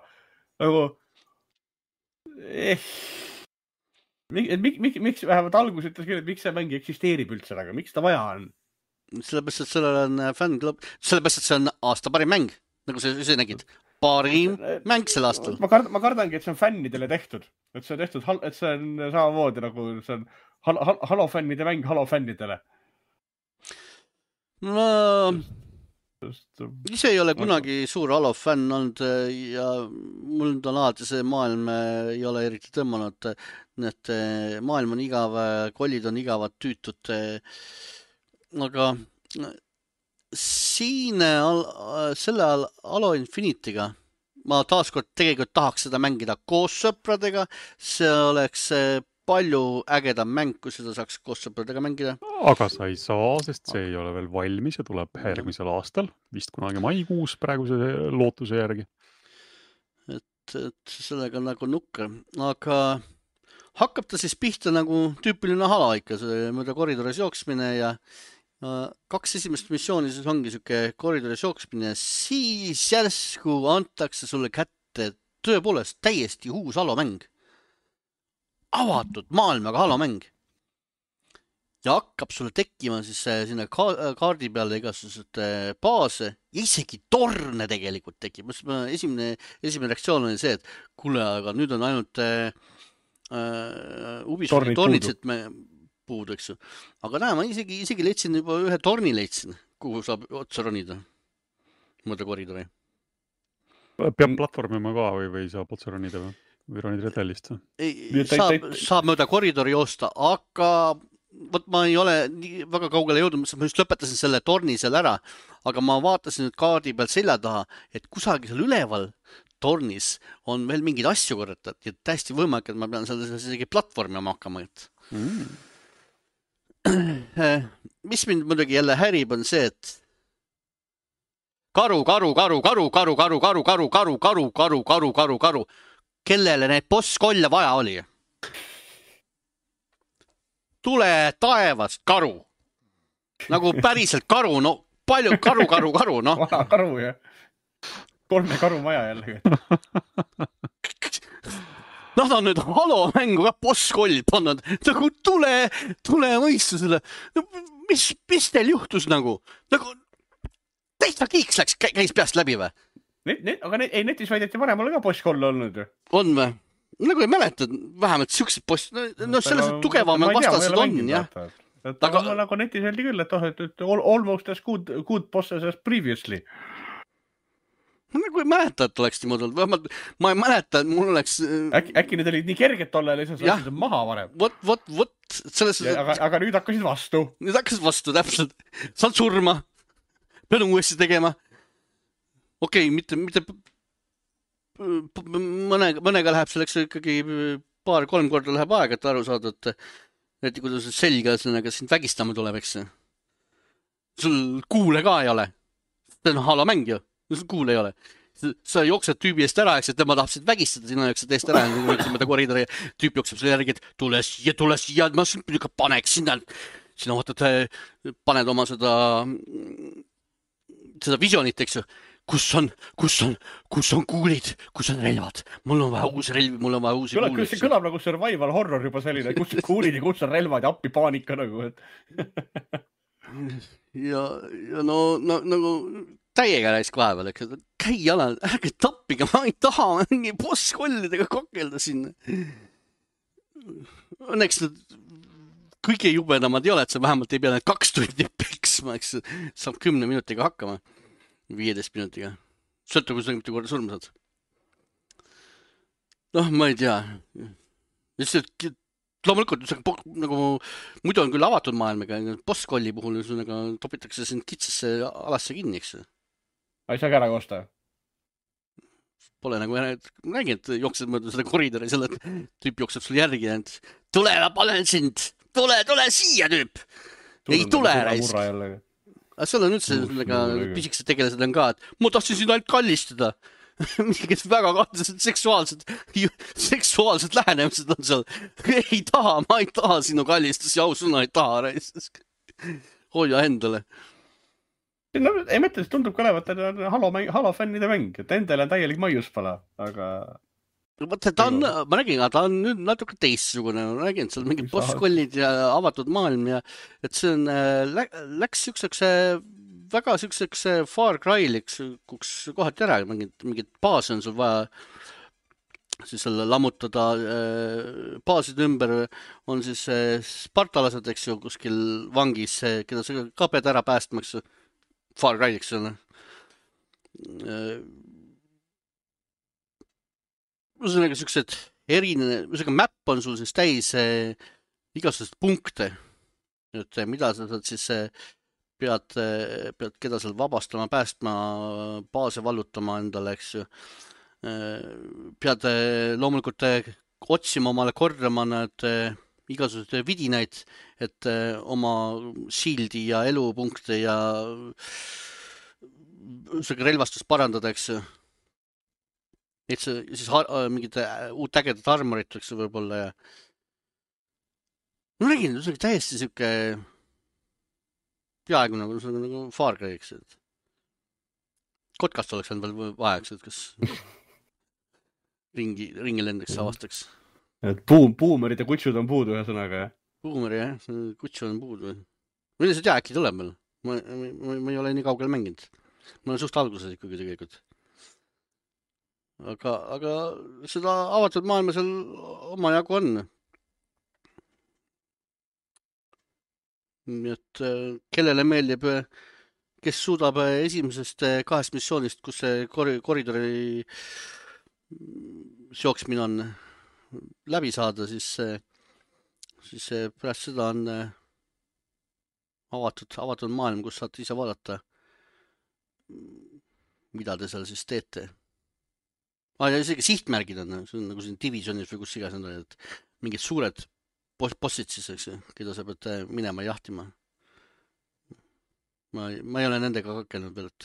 Nagu, miks vähemalt algus ütles küll, et miks see mäng eksisteerib üldse, aga miks ta vaja on? Sellepärast, et sellel on fänn-klubb, sellepärast, et see on aasta parim mäng, nagu sa ise nägid. Parim mäng sel aastal. Ma kardangi, et see on fännidele tehtud. Et see on tehtud, et see on samamoodi nagu see on Halo fännide mäng Halo fännidele. No, ise ei ole kunagi suur Halo fänn olnud ja mul on alati see maailm ei ole eriti tõmmanud. Need maailm on igav, kollid on igavad, tüütud. Aga siin selle Halo Infinite'iga ma taaskord tegelikult tahaks seda mängida koos sõpradega. See oleks palju ägedam mäng, kui seda saaks koos sõpradega mängida. Aga sa ei saa, sest see ei ole veel valmis ja tuleb järgmisel aastal, vist kunagi maikuus praeguse lootuse järgi. Et sellega nagu nukker. Aga hakkab ta siis pihta nagu tüüpiline Halo ikka, mööda koridoris jooksmine ja 2 esimest missiooni siis ongi siuke koridoris jooksmine, siis järsku antakse sulle kätte tõepoolest täiesti uus Halo mäng. Avatud maailmaga Halo mäng. Ja hakkab sulle tekkima siis sinna kaardi peale igasugused baase ja isegi torne tegelikult tekib. Esimene reaktsioon oli see, et kuule, aga nüüd on ainult Ubisofti tornid puudu, eks ju. Aga näe, ma isegi leidsin juba ühe torni leidsin, kuhu saab otsa ronida. Mõõda koridori. Peab platvormima ka või saab otsa ronida või ronid retellist? Saab mööda koridori joosta, aga võt ma ei ole väga kaugele jõudnud, ma just lõpetasin selle torni seal ära, aga ma vaatasin nüüd kaardi peal selja taha, et kusagil seal üleval tornis on veel mingeid asju korratud ja täiesti võimalik, et ma pean seal isegi platvormima hakkama. Mis mind muidugi jälle härib on see, et karu, kellele neid bosskolle vaja oli? Tule taevast karu. Nagu päriselt karu, no palju karu, no. Vana karu, jah. 3 karumaja jällegi. Nad on nüüd Halo mängu ka bosskollid pannud. Nagu tule mõistusele. Mis teil juhtus nagu? Nagu täitsa kiiks käis peast läbi või? Aga netis väideti varem ole ka bosskoll olnud. On või? Nagu ei mäleta, vähemalt siuksed boss, no selles tugevam vastased on, jah. Aga nagu netis öeldi küll, et almost as good bosses as previously. Ma nagu ei mäleta, et oleks niimoodi olnud. Ma ei mäleta, et mul oleks... Äkki need olid nii kerged tolle, lihtsalt said maha varem. Vot. Aga nüüd hakkasid vastu. Nüüd hakkasid vastu, täpselt. Saad surma. Pean uuesti tegema. Okei, mitte mõnega läheb selleks ikkagi 2-3 korda läheb aega, et aru saada, et kuidas selga sellega sind vägistama tuleb, eks. Sul kuule ka ei ole. See on Halo mäng ju. Sul kuule ei ole. Sa jooksed tüübi eest ära, eks, et tema tahab sind vägistada, sina jooksed eest ära, mõtleme koridori, tüüp jookseb selle järgi, et tule siia, ma ikka paneks sinna vaatad, paned oma seda visionit, eks ju. Kus on kuulid, kus on relvad? Mul on vaja uusi relvi, mul on vaja uusi kuulid. See kõlab nagu survival horror juba selline, kus on kuulid ja kus on relvad ja appi paanika nagu. Ja no nagu täiega raisk vahepeal, eks. Käi jala, ärge tappige, ma ei taha mingi bosskollidega kakelda sinna. Õnneks kõige jubedamad ei ole, et sa vähemalt ei pea need 2 tundi peksma, eks. Saab 10 minutiga hakkama. 15 minutiga. Sõltu, kui sa mitte korda surma saad. Noh, ma ei tea. Loomulikult, nagu muidu on küll avatud maailmaga, boskolli puhul topitakse sind kitsasse alasse kinni, eks. Ei saa ka ära koosta? Pole nagu, nägin, et jooksed mööda seda koridori, selle tüüp jookseb sul järgi ja tule, ma panen sind, tule siia tüüp. Ei tule raisk. Aga seal on üldse pisikesed tegelased on ka, et ma tahtsin sind ainult kallistada. Mingid väga seksuaalsed lähenemised on seal. Ma ei taha sinu kallistus ja ausõna ei taha. Hoia endale. No, ei mõtle, see tundub ka olevat, et on Halo fännide mäng, et endal on täielik maiuspala, aga... Vaata, ma nägin, ta on nüüd natuke teistsugune, ma nägin, et seal mingid boss-kollid ja avatud maailm ja et see on, läks siukseks väga siukseks Far Cry'liks kohati ära, mingid baase on sul vaja siis selle lammutada, baaside ümber on siis spartalased, eks ju, kuskil vangis, keda sa ka pead ära päästma, eks ju, Far Cry'liks on. Ühesõnaga siuksed ühesõnaga map on sul siis täis igasugused punkte, et mida sa saad siis pead keda seal vabastama, päästma, baase vallutama endale, eks ju. Pead loomulikult otsima omale korjama need igasugused vidinaid, et oma shieldi ja elupunkte ja relvastust parandada, eks ju. Et see siis mingid uut ägedat armorit, eks võib-olla ja ma nägin, see oli täiesti siuke peaaegu nagu Far Cry, eks, et kotkast oleks veel vaja, eks, et kas ringi lendaks, avastaks. Et buumerid ja kutsud on puudu ühesõnaga, jah? Buumeri, jah, kutsu on puudu. Mille see tea, äkki tuleb veel? Ma ei ole nii kaugel mänginud. Ma olen suht alguses ikkagi tegelikult. Aga seda avatud maailma seal oma jagu on. Nii et kellele meeldib, kes suudab esimesest 2 missioonist, kus see koridori jooksmine on läbi saada, siis pärast seda on avatud maailm, kus saate ise vaadata, mida te seal siis teete. Ja isegi sihtmärgid on, see on nagu siin Divisionis või kus igas on, et mingid suured bossid siis, eks, keda sa pead minema jahtima. Ma ei ole nendega kakelnud veel, et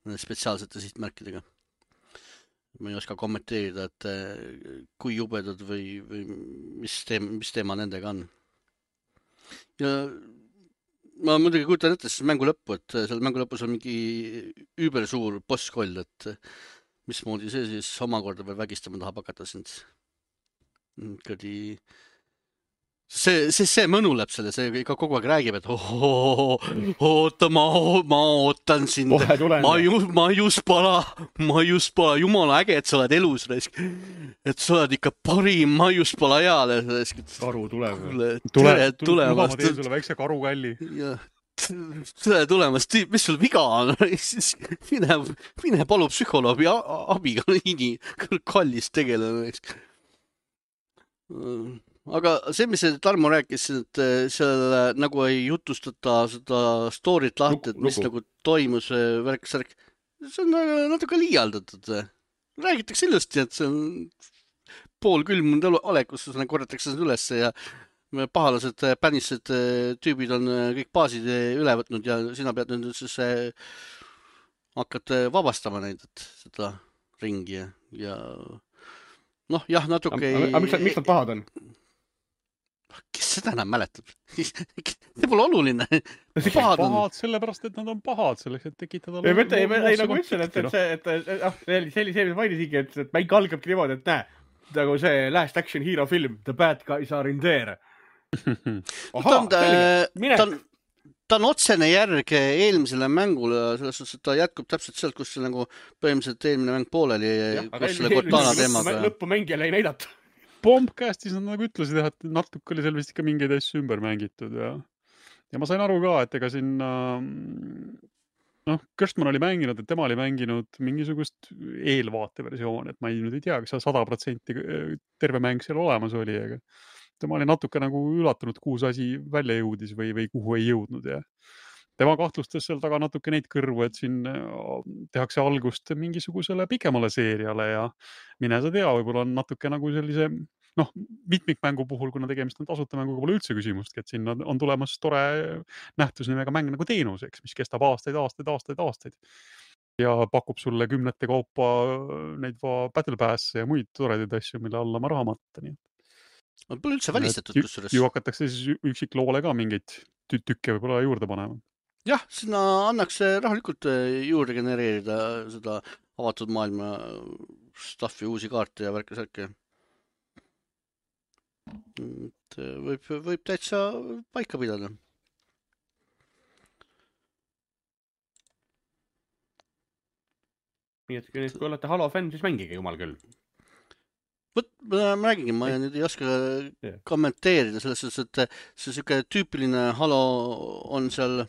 nende spetsiaalsete sihtmärkidega. Ma ei oska kommenteerida, et kui jubedad või mis teema nendega on. Ja ma muidugi kujutan ette siis mängu lõppu, et seal mängu lõpus on mingi übersuur bosskoll, et mismoodi see siis omakorda veel vägistama tahab hakata sind. See mõnuleb selle, see ikka kogu aeg räägib, et oota, ma ootan sind, ma just pala, jumala äge, et sa oled elus, et sa oled ikka parim, ma just pala heale. Karu tuleb. Tere tulemast. Ma teen sulle väikse karukalli. Tere tulemast, mis sul viga on? Mine palu psühholoogi abiga, nii kallis tegelane. Aga see, mis Tarmo rääkis, et seal nagu ei jutustata seda story't lahti, et mis nagu toimus värk-särk, see on natuke liialdatud. Räägitakse ilusti, et see on poolkülmunud olek, kus korjatakse seda üles ja pahalased, pänised tüübid on kõik baasid üle võtnud ja sina pead nüüd siis hakkad vabastama neid, et seda ringi ja noh, jah, natuke... Aga miks nad pahad on? Kes seda enam mäletab? See pole oluline. Pahad sellepärast, et nad on pahad selleks, et tekitada... Ei, nagu ütlen, et see mis mainisigi, et mäng algabki niimoodi, et näe, nagu see Last Action Hero film, The Bad Guys Are In There. Ta on otsene järg eelmisele mängule, selles suhtes, et ta jätkub täpselt sealt, kus see nagu põhimõtteliselt eelmine mäng pooleli, kus selle Cortana teemaga. Lõppu mängijale ei näidata. Bombcastis nad nagu ütlesid, et natuke oli seal vist ikka mingeid asju ümber mängitud ja ma sain aru ka, et ega siin Kirstman oli mänginud, et tema oli mänginud mingisugust eelvaateversiooni, et ma ei tea, kas 100% terve mäng seal olemas oli, aga tema oli natuke nagu üllatunud, kuhu see asi välja jõudis või kuhu ei jõudnud ja tema kahtlustas seal taga natuke neid kõrvu, et siin tehakse algust mingisugusele pikemale seeriale ja mine sa tea, võib-olla on natuke nagu sellise mitmikmängu puhul, kuna tegemist on tasuta mänguga, pole üldse küsimustki, et siin on tulemas tore nähtusnimega mäng nagu teenuseks, mis kestab aastaid ja pakub sulle 10 kaupa neid Battle Pass ja muid toredaid asju, mille alla ma raha matta. On pole üldse välistatud, kusjuures. Ju hakatakse siis üksikloole ka mingeid tükke võib-olla juurde panema. jah, sinna annaks rahulikult juurde genereerida seda avatud maailma staffi, uusi kaarte ja värke-särke. Võib täitsa paika pidada. Nii et kui olete Halo fänn, siis mängige jumal küll. Ma räägingi, ma nüüd ei oska kommenteerida selles suhtes, et see siuke tüüpiline Halo on seal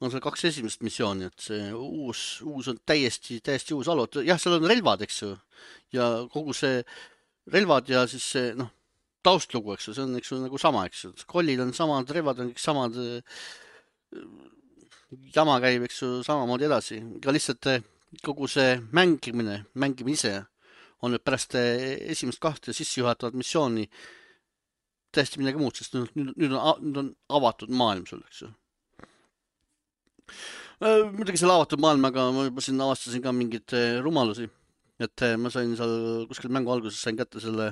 2 esimest missiooni, et see uus on täiesti uus Halo. Jah, seal on relvad, eks ju, ja kogu see relvad ja siis see, taustlugu, eks ju, see on, eks ju, nagu sama, eks ju. Kollid on samad, relvad on kõik samad, jama käib, eks ju, samamoodi edasi. Aga lihtsalt kogu see mängimine ise on nüüd pärast esimest 2 sissejuhatavat missiooni täiesti midagi muud, sest nüüd on avatud maailm sul, eks ju. Muidugi selle avatud maailmaga ma juba siin avastasin ka mingeid rumalusi, et ma sain seal kuskil mängu alguses sain kätte selle,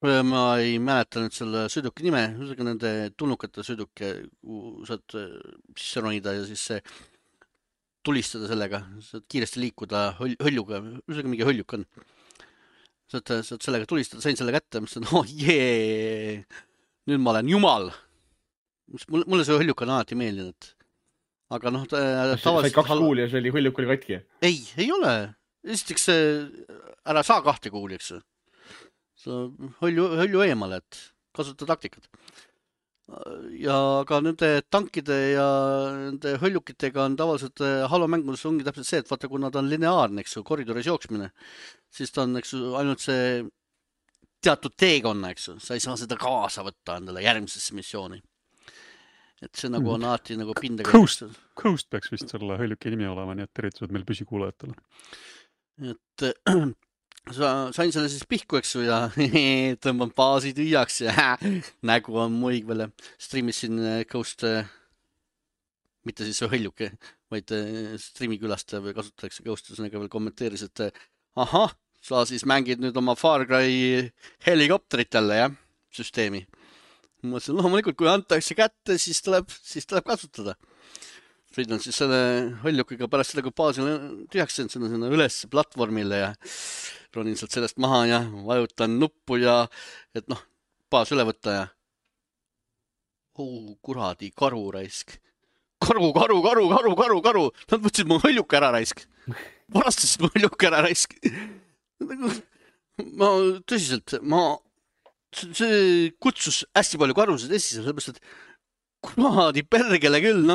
ma ei mäleta nüüd selle sõiduki nime, ühesõnaga nende tulnukate sõiduke, kuhu saad sisse ronida ja siis tulistada sellega, saad kiiresti liikuda hõljuga, ühesõnaga mingi hõljuk on. Saad sellega tulistada, sain selle kätte, mõtlesin, nüüd ma olen jumal. Mulle see hõljuk on alati meeldinud. Aga Said 2 kuuli ja see oli hõljuk oli katki? Ei ole. Esiteks ära saa 2 kuuli, eks. Hõlju eemale, et kasuta taktikat. Ja ka nende tankide ja nende hõljukitega on tavaliselt Halo mängudes ongi täpselt see, et vaata, kui nad on lineaarne, eks ju, koridoris jooksmine, siis ta on, eks ju, ainult see teatud teekonna, eks ju, sa ei saa seda kaasa võtta endale järgmisesse missiooni. Et see nagu on alati nagu pindega. Coast peaks vist selle hõljuki nimi olema, nii et tervitused meil püsikuulajatele. Et sain selle siis pihku, eks ju, ja tõmban baasi tühjaks ja nägu on muig veel. Streamisin Ghost, mitte siis see hõljuke, vaid streami külastaja või kasutatakse Ghost, ühesõnaga veel kommenteeris, et ahah, sa siis mängid nüüd oma Far Cry helikopterit jälle, jah, süsteemi. Ma mõtlesin, loomulikult, kui antakse kätte, siis tuleb kasutada. Sõidan siis selle hõljukiga pärast seda, kui baasil tühjaks sinna üles platvormile ja ronin sealt sellest maha ja vajutan nuppu ja et baas üle võtta ja kuradi karu raisk. Karu. Nad võtsid mu hõljuka ära raisk. Varastasid mu hõljuka ära raisk. Ma tõsiselt, see kutsus hästi palju karusid esile, sellepärast, et kuradi pergele küll,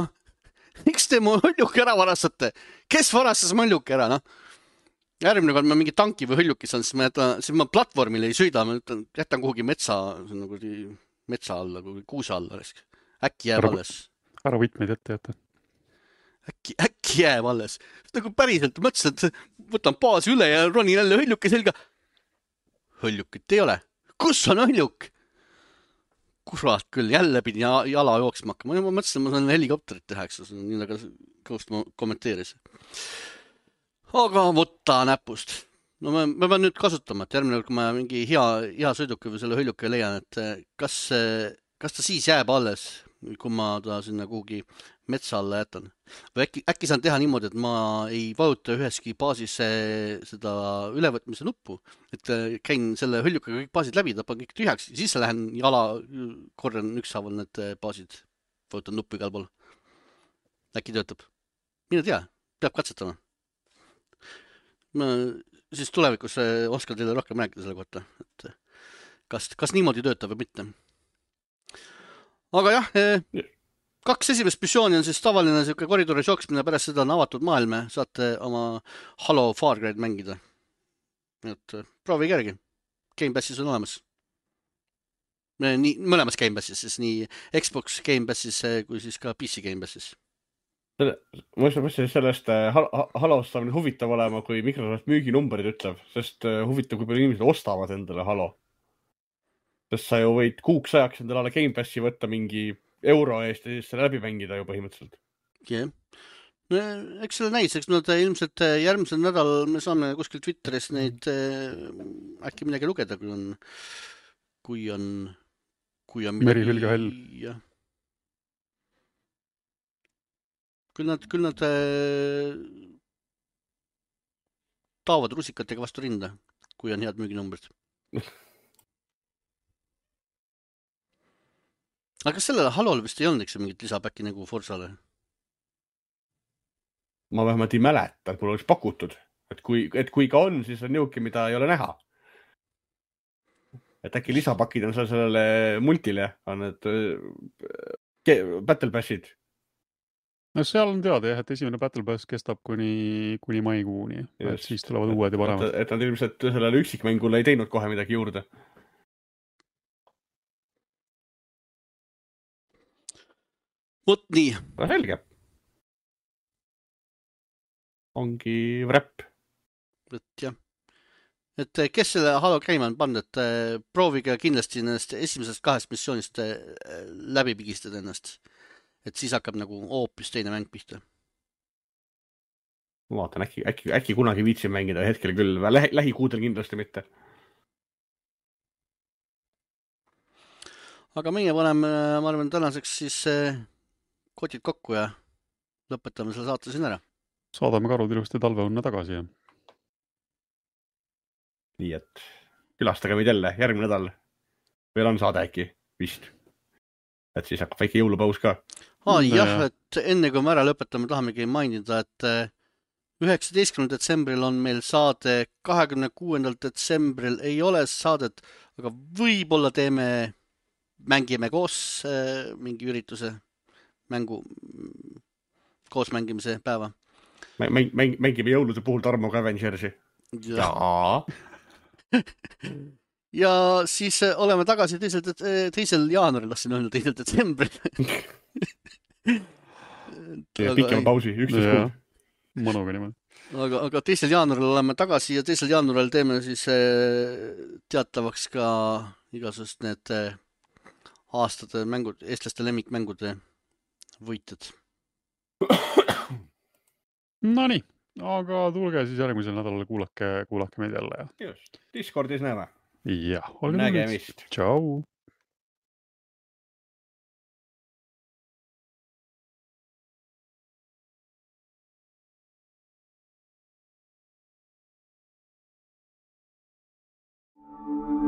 miks te mu hõljuki ära varastate? Kes varastas mu hõljuki ära, Järgmine kord ma mingi tanki või hõljuki saan, siis ma platvormile ei sõida, ma jätan kuhugi metsa alla, kuusa alla. Äkki jääb alles. Ära võtmeid ette jätta. Äkki jääb alles. Nagu päriselt mõtlesin, et võtan baasi üle ja ronin jälle hõljuki selga. Hõljukit ei ole. Kus on hõljuk? Kurat küll, jälle pidin jala jooksma hakkama. Ma mõtlesin, ma saan helikopterit teha, eks nii nagu Ghost kommenteeris. Aga võtta näpust. Ma pean nüüd kasutama, et järgmine, kui ma mingi hea sõiduki või selle hõljuki leian, et kas ta siis jääb alles, kui ma ta sinna kuhugi metsa alla jätan. Või äkki saan teha niimoodi, et ma ei vajuta üheski baasis seda ülevõtmise nuppu, et käin selle hõljukaga kõik baasid läbi, tapan kõik tühjaks, siis lähen jala, korjan ükshaaval need baasid, vajutan nuppu igal pool. Äkki töötab. Mine tea, peab katsetama. Ma siis tulevikus oskan teile rohkem rääkida selle kohta, et kas niimoodi töötab või mitte. Aga jah, 2 esimest missiooni on siis tavaline siuke koridoris jooksmine, pärast seda on avatud maailm, saate oma Halo Far Cry'd mängida. Et proovige järgi. Game Passis on olemas. Mõlemas Game Passis, siis nii Xbox Game Passis kui siis ka PC Game Passis. Ma mõtlesin, sellest Halost saab nüüd huvitav olema, kui Microsoft müüginumbrid ütleb, sest huvitav, kui palju inimesed ostavad endale Halo. Sest sa ju võid kuuks ajaks endale Game Passi võtta mingi euro eest ja siis selle läbi mängida ju põhimõtteliselt. Jah. Eks selle näis, eks nad ilmselt järgmisel nädal me saame kuskil Twitteris neid äkki midagi lugeda, kui on Merihülge hall. Jah. küll nad taovad rusikatega vastu rinda, kui on head müüginumbrid. Aga kas sellele Halol vist ei olnud eks mingit lisapäkki nagu Forsale? Ma vähemalt ei mäleta, et mul oleks pakutud. Et kui ka on, siis on niuke, mida ei ole näha. Et äkki lisapakid on sellele multile, on need Battle Passid. No seal on teada jah, et esimene Battle Pass kestab kuni maikuuni. Et siis tulevad uued ja paremad. Et nad ilmselt sellele üksikmängule ei teinud kohe midagi juurde. Vot nii. No selge. Ongi wrap. Et jah. Et kes selle Halo käima on pannud, et proovige kindlasti nendest esimesest 2 missioonist läbi pigistada ennast. Et siis hakkab nagu hoopis teine mäng pihta. Ma vaatan, äkki kunagi viitsin mängida hetkel küll. Lähikuudel kindlasti mitte. Aga meie paneme, ma arvan, tänaseks siis kotid kokku ja lõpetame selle saate siin ära. Saadame karud ilusti talveunne tagasi. Ja. Nii et külastage meid jälle järgmine nädal. Veel on saade äkki vist. Et siis hakkab väike jõulupaus ka. Jah, et enne kui me ära lõpetame, tahamegi mainida, et 19. detsembril on meil saade, 26. detsembril ei ole saadet, aga võib-olla mängime koos mingi ürituse, koos mängimise päeva. Mängime jõulude puhul Tarmoga Avengersi. Jaa. Ja siis oleme tagasi 2. jaanuaril, lasin öelda 2. detsembril. Pikema pausi, 11 kuud. Mõnuga niimoodi. Aga 2. jaanuaril oleme tagasi ja 2. jaanuaril teeme siis teatavaks ka igasugust need aastate mängud, eestlaste lemmikmängude võitjad. Nonii, aga tulge siis järgmisel nädalal kuulake meid jälle. Just, Discordis näeme. Jah, nägemist. Tšau. Thank you.